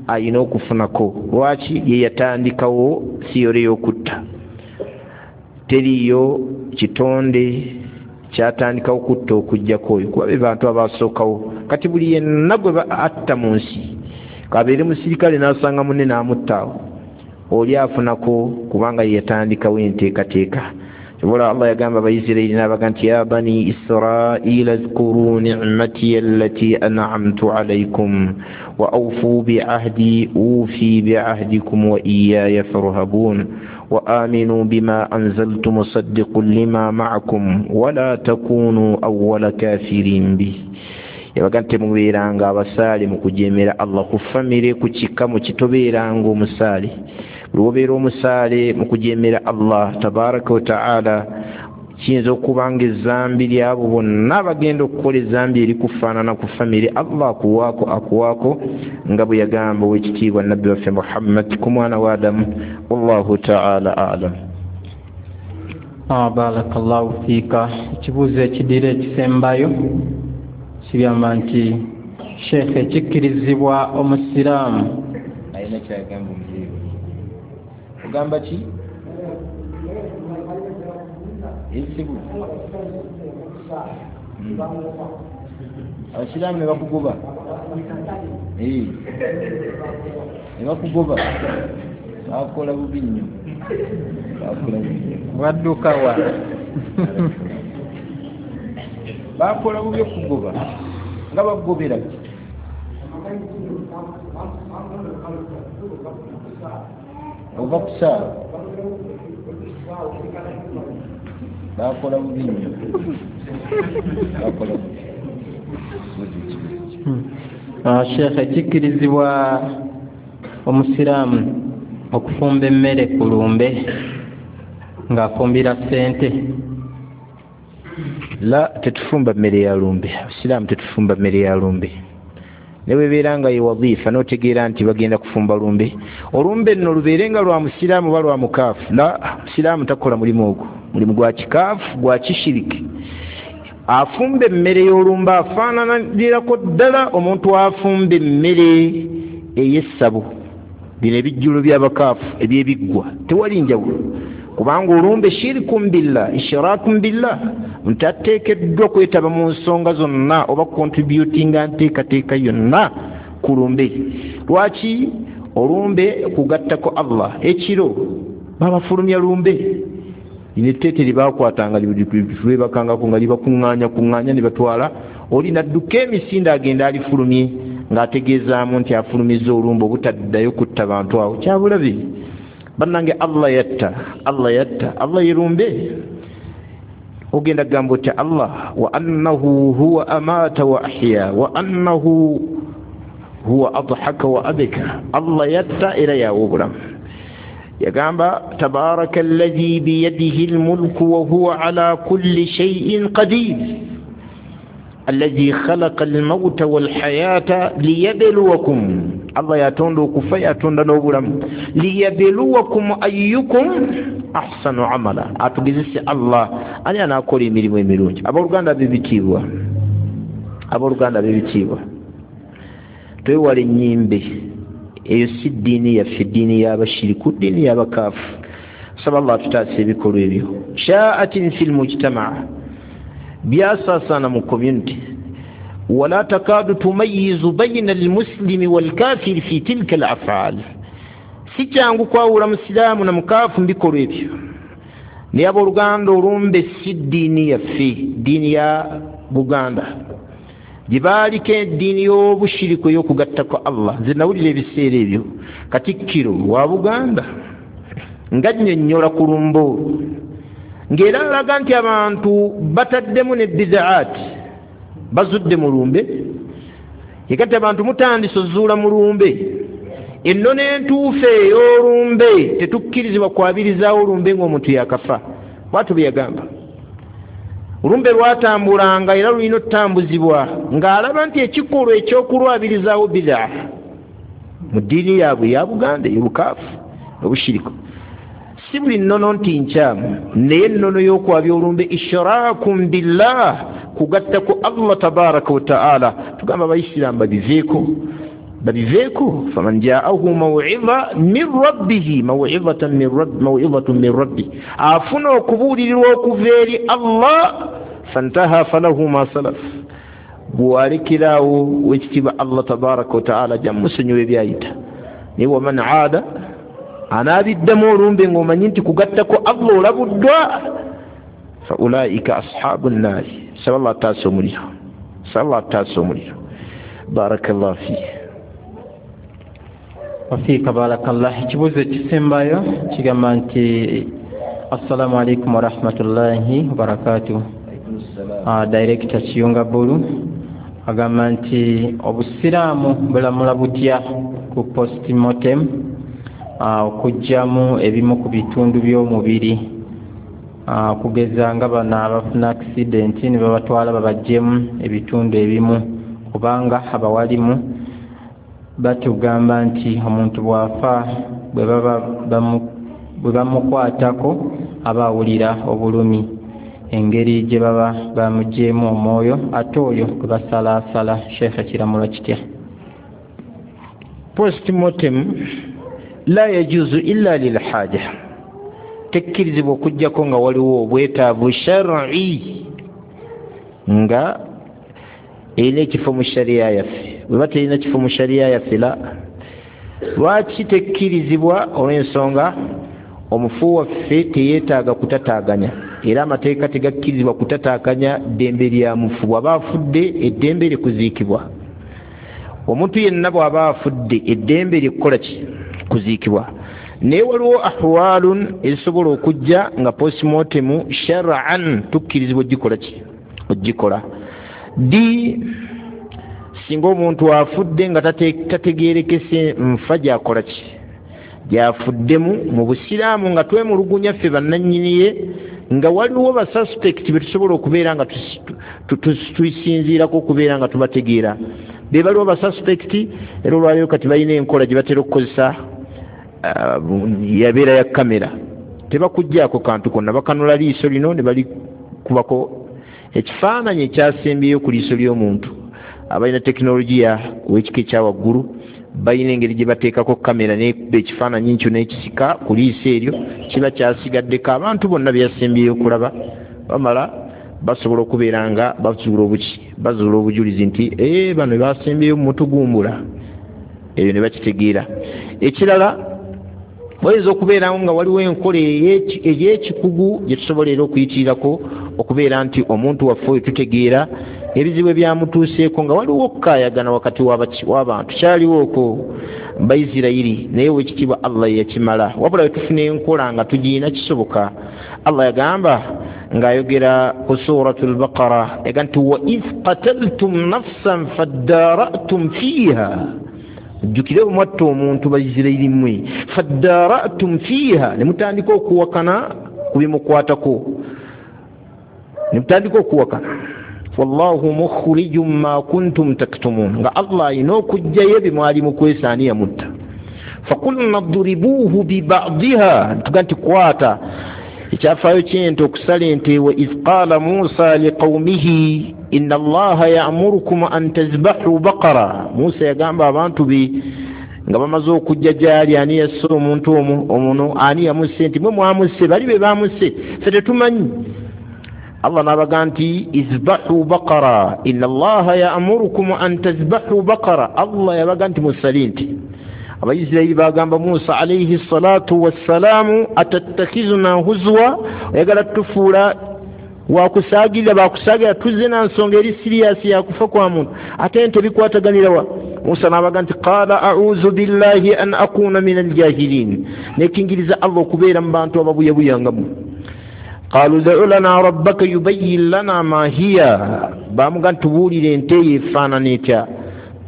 ayina okufunako. Lwaki? Ye yatandikawo siyore y'okutta. Teriiyo kitonde kyatandikawo kutta okuggyako oyo, kuba be bantu abasookawo. Kati buli yenna gwe atta mu nsi, kabeere musirikale n'asanga munne n'amutta awo, oli afunako kubanga ye yatandikawo enteekateeka. Wala Allah yagamba Abayisirayiri n'abaga nti ya bani Israila zkuru ni'mati allati an'amtu alaykum wa awfu bi'ahdi ufi bi'ahdikum wa iyaya farhabun wa aminu bima anzaltu musaddiqun lima ma'akum wa la takunu awwala kafirin bih. Yabaga nti mubeeranga abasaale mu kujeemera Allah, ku famire, ku kika, mu kitobeeranga omusaale. Lwobeera omusaale mu kujeemera Allah tabaraka wa taala, kiyinza okuba nga ezzambi lyabo bonna bagenda okukola ezzambi erikufaanana ku famire, Allah akuwaako akuwaako nga bwe yagamba owekitiibwa nabbi waffe Muhammad ku mwana wa Adamu. Wallahu taala alam. Barakallahu fiika. Ekibuuzo ekidira ekisembayo kigamba nti Sheikh, ekikkirizibwa omusiraamu alina kyagamba omuzeeyi, ogamba ki? Ezibu abasiraamu ne bakugoba, ne bakugoba, bakola bubi nnyo, bakola bubi nnyo, wadduka wa bakola bubi okugoba nga bagobera ki? Ova kusaala, bakola bubi nnyo, bakola bubi. Sheikh, ekikkirizibwa omusiraamu okufumba emmere ku lumbe ng'afumbira ssente? La, tetufumba mmere ya lumbe. Abasiraamu tetufumba mmere ya lumbe. Ne bwebeera nga ye wadhifa n'otegeera nti bagenda kufumba lumbe, olumbe nno lubeere nga lwa musiraamu oba lwa mukaafu. La, musiraamu takola mulimu ogwo, mulimu gwa kikaafu, gwa kishiriki. Afumba emmere y'olumbe afaananirako ddala omuntu afumba emmere ey'essabo, bino ebijjulo by'abakaafu ebyebiggwa, tewali njawulo. Kubanga olumbe shirikun billah, ishrakun billah, nti ateekeddwa kwetaba mu nsonga zonna oba contributinga nteekateeka yonna ku lumbe. Lwaki? Olumbe kugattako Allah. Ekiro babafulumya lumbe, Lino etteete lyebakwatanga lwebakangako nga libakuŋŋaanya kuŋŋaanya ne batwala oli nadduka emisinde agenda alifulumye ng'ategeezaamu nti afulumizza olumbe obutaddayo kutta bantu awo. Kyabulabe bannange, Allah yatta, Allah yatta, Allah yerumbe. Ogenda kugamba otya Allah wa annahu huwa amaata wa ahya wa annahu huwa adhaka wa abka. Allah yatta era yawa obulamu. Yagamba tabaraka alladhi biyadihi almulku wa huwa ala kulli shay'in qadir alladhi khalaqa almauta walhayata liyabluwakum. Allah yatonda okufa, yatonda n'obulamu. Liyabluwakum ayyukum ahsanu amala, atugezese Allah ani anaakola emirimu emirungi. Abooluganda b'ebitiibwa, abooluganda b'ebitiibwa, twewale ennyimbe. Eyo si ddiini yaffe, ddiini y'abashiriku, ddiini y'abakaafu. Saba Allah atutaasa ebikolwa ebyo. Sha'atin fil mujtamaa, byasaasaana mu community. Wala takadu tumayizu bayina almuslimi walkafiri fi tilka alafal, si kyangu kwawula musiraamu na mukaafu mu bikolwa ebyo. Naye abooluganda, olumbe si ddiini yaffe, ddiini ya Buganda gye baaliko eddiini y'obushiriku ey'okugattako Allah. Nze nawulira ebiseera ebyo Katikkiro wa Buganda nga nnyonnyola ku lumbe olwo, ng'era alaga nti abantu bataddemu ne bidaati bazudde mu lumbe. Yekati abantu mutandise ozuula mu lumbe ennono entuufu ey'olumbe. Tetukkirizibwa kwabirizaawo olumbe ng'omuntu yakafa. Bwatyo bwe yagamba. Olumbe lwatambulanga era lulina otutambuzibwa ng'alaba nti ekikolwa ekyokulwabirizaawo bidaa mu ddiini yaabwe ya Buganda ey'obukaafu obushiriku. Si buli nnono nti nkyamu, naye ennono y'okwabya olumbe ishrakum billah, kugatta ku Allah tabaraka wa taala. Tugamba abayisiraamu babiveeko, babiveeko. Faman jaahu mawidha min rabbihi mawidhatan min rabbi mawidhatun min rabbi, afuna okubuulirirwa okuva eri Allah. Fantaha falahu ma salaf, bw'alekerawo wekitiibwa Allah tabaraka wa taala ajja musonyiwa ebyayita. Naye waman aada, anaabiddamu olumbe ng'omanyi nti kugattako Allah olabuddwa, fa ulaika ashabu nnaari. Saba Allah ataasa omuliro, saba Allah ataasa omuliro. Barakallahu fiik. Wafiika barakallah. Ekibuuzo ekisembayo kigamba nti assalamu alaikum warahmatullahi wabarakatuh. Uh, Director Kiyunga Bulu agamba nti obusiraamu bulamula butya ku postmortem, uh, okuggyamu ebimu ku bitundu by'omubiri, uh, okugeza nga bano abafuna accident ne babatwala babaggyemu ebitundu ebimu, kubanga abawalimu batugamba nti omuntu bw'afa bwe baba bwe bamukwatako aba awulira obulumi engeri gye baba bamuggyeemu omwoyo, ate oyo gwe basalaasala. Sheekh, kiramulo kitya? Postmortem la yajuzu illa lilhaja, tekkirizibwa okuggyako nga waliwo obwetaavu shar'i nga erina ekifo mu shariya yaffe. Bweba terina kifo mu shariya yaffe, la lwaki tekkirizibwa? Olw'ensonga omufu waffe teyeetaaga kutataaganya, era amateeka tegakkirizibwa kutataaganya ddembe lya mufu. Bw'aba afudde eddembe lye kuziikibwa. Omuntu yenna bw'aba afudde eddembe lye kukola ki? Kuziikibwa. Naye waliwo ahwalun ezisobola okujja nga postmortem shar'an tukkirizibwa ogikola ki? Ogikola. Ddi? Singa omuntu afudde nga tategeerekese nfa gyakola ki, gyafuddemu. Mu busiraamu nga twemulugunya ffe bannannyini ye nga waliwo basuspect be tusobola okubeera nga tusinziirako okubeera nga tubategeera, be baliwo basuspect. Era olwaleero kati balina enkola gye batera okukozesa, yabeera ya kamera, tebakuggyako kantu konna, bakanula liiso lino ne balikubako ekifaananyi ekyasembyeyo ku liiso ly'omuntu. Abalina tekinologiya ow'ekika ekyawaggulu balina engeri gye bateekako kamera nekuba ekifaananyi nkyo n'ekisika ku liiso eryo, kiba kyasigaddeko abantu bonna byasembyeyo okulaba. Bamala basobola okubeera nga bazuula obuki, bazuula obujulizi nti ee bano basembyeyo mutugumbula, ebyo ne bakitegeera. Ekirala, Wayinza okubeerawo nga waliwo enkola ey'ekikugu gye tusobola era okuyitirirako okubeera nti omuntu waffe oyo tutegeera ebizibu ebyamutuuseeko, nga waliwo okukaayagana wakati w'abantu. Kyaliwo okwo Baisirayiri, naye owekitiibwa Allah yakimala. Wabula wetufuna enkola nga tugiina kisoboka. Allah yagamba ng'ayogera ku Suratu Lbaqara, yaga nti wa idh qataltum nafsan faddaratum fiiha, jjukire bwe mwatta omuntu Baisirayiri mmwe, faddaratum fiiha, ne mutandika okuwakana ku bimukwatako, ne mutandika okuwakana. Wallahu mukhrijum ma kuntum taktumun, nga Allah alina okuggyayo ebye mwali mukwesa ani yamutta. Fakulna duribuuhu bibadiha, tuga nti kwata ekyafaayo ky'ente okusala ente. Wa idh qaala Musa liqawmihi inna Allaha ya'murukum an tazbahu baqara, Musa yagamba abantu be nga bamaze okujja gyali, ani yasse omuntu omuno, ani yamusse, nti mwe mwamusse, bali be bamusse, ffe tetumanyi. Allah n'abaga nti izbahu baqara inna Allaha ya'murukum an tazbahu baqara, Allah yabaga nti musale nti. Abayisirayiri bagamba Musa alayhi salatu wassalaamu, atattakhizuna huzwa, oyagala tufuula wakusaagirira, bakusaagirira, tuzze na nsonga eri siriyasi yakufa kwa muntu, ate nti ebikwataganirawa. Musa n'abaga nti qaala a'udhu billahi an akuna min aljahilin, nekingiriza Allah okubeera mu bantu ababuyabuyangamu. Qalu da'u lana rabbaka yubayyin lana ma hiya, bamuga ntubuulire ente eyo efaanana etya.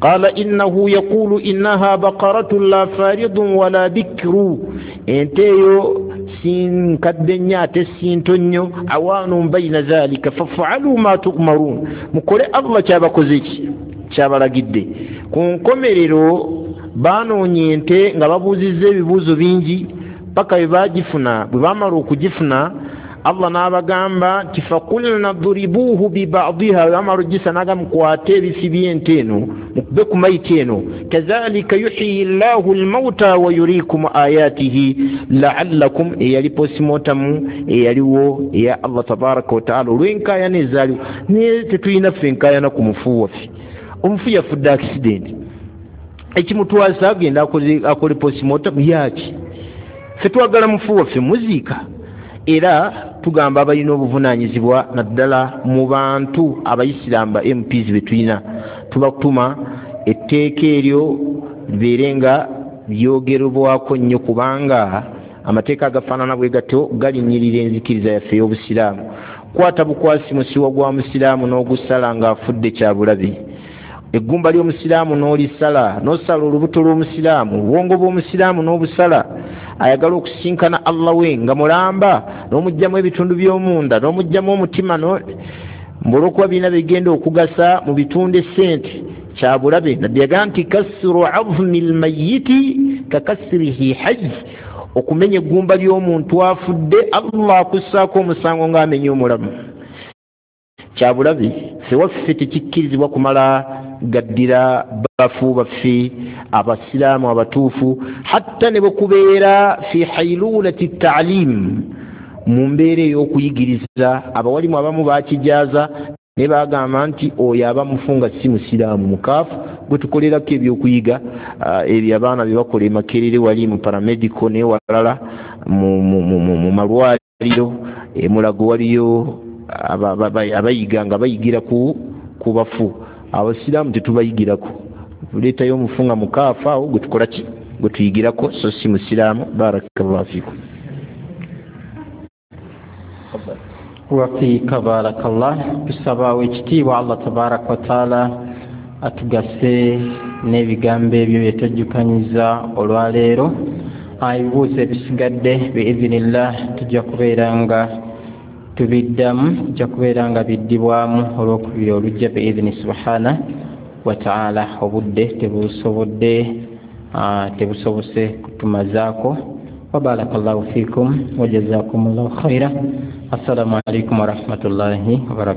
Qala innahu yaqulu innaha baqaratun la faridun wala bikru, ente eyo si nkadde nnyo ate si nto nnyo, awaanun baina dhalika fafaalu ma tu'marun, mukole Allah kyabakoze ki kyabalagidde. Ku nkomerero banoonya ente nga babuuzizza ebibuuzo bingi paka bwe bagifuna. Bwe bamala okugifuna Allah n'abagamba nti fakulna duribuuhu bibadiha, bamala ogisa n'agamba mukwate ebifi by'ente eno mukube ku mayiti eno, kazalika yuhyi llahu lmauta wa yurikum ayatihi laallakum, eyali postmortem eyaliwo eya Allah tabaraka wataala olw'enkaayana ezaaliwo. Naye tetulina ffe enkaayana ku mufu waffe, omufu yafudde accident, ekimutwasa agenda akole postmortem yaki? Ffe twagala mufu waffe muziika. Era tugamba abalina obuvunaanyizibwa naddala mu bantu abayisiraamu ba M Ps be tulina, tubatuma etteeka eryo libeere nga lyogerwako nnyo, kubanga amateeka agafaanana bwe gatyo galinnyirira enzikiriza yaffe ey'obusiraamu. Kwata bukwasi musiwa gwa musiraamu n'ogusala ng'afudde kya bulabe, eggumba ly'omusiraamu n'olisala, n'osala olubuto lw'omusiraamu, obwongo bw'omusiraamu n'obusala, ayagala okusinkana Allah we nga mulamba, n'omuggyamu ebitundu by'omunda, n'omuggyamu omutima, olw'okuba birina bigenda okugasa mu bitundu essente, kya bulabe. Nabbi yagamba nti kasru azmi lmayiti kakasrihi hayy, okumenya eggumba ly'omuntu afudde Allah akussaako omusango ng'amenya omulamu. Kya bulabe. Ffe waffe tekikkirizibwa kumala gaddira bafu baffe abasiraamu abatuufu, hatta ne bwekubeera fi hailulati taalim, mu mbeera ey'okuyigiriza. Abawalimu abamu bakijaaza ne bagamba nti oyo aba mufu nga si musiraamu mukaafu, gwe tukolerako ebyokuyiga ebyo abaana bye bakola e Makerere wali mu paramedical n'ewalala mu malwaliro e Mulago waliyo abayiga nga bayigira ku bafu. Abasiraamu tetubayigirako, tuleetayo omufu nga mukaafu awo gwe tukola ki gwe tuyigirako, so si musiraamu. Barakallahu fikum. Wafiika barakallah. Tusaba ekitiibwa Allah tabaraka wataala atugase n'ebigambo ebyo bye twejjukanyiza olwaleero. Ebibuuzo ebisigadde biizinillah tujja kubeera nga tubiddamu, tujja kubeera nga biddibwamu olwokubiri olujja biizini subhana wataala. Obudde tebusobodde tebusobose kutumazaako. Wabarakallahu fikum wajazakumullahu khaira. Assalamu alaikum warahmatullahi wabarakatuh.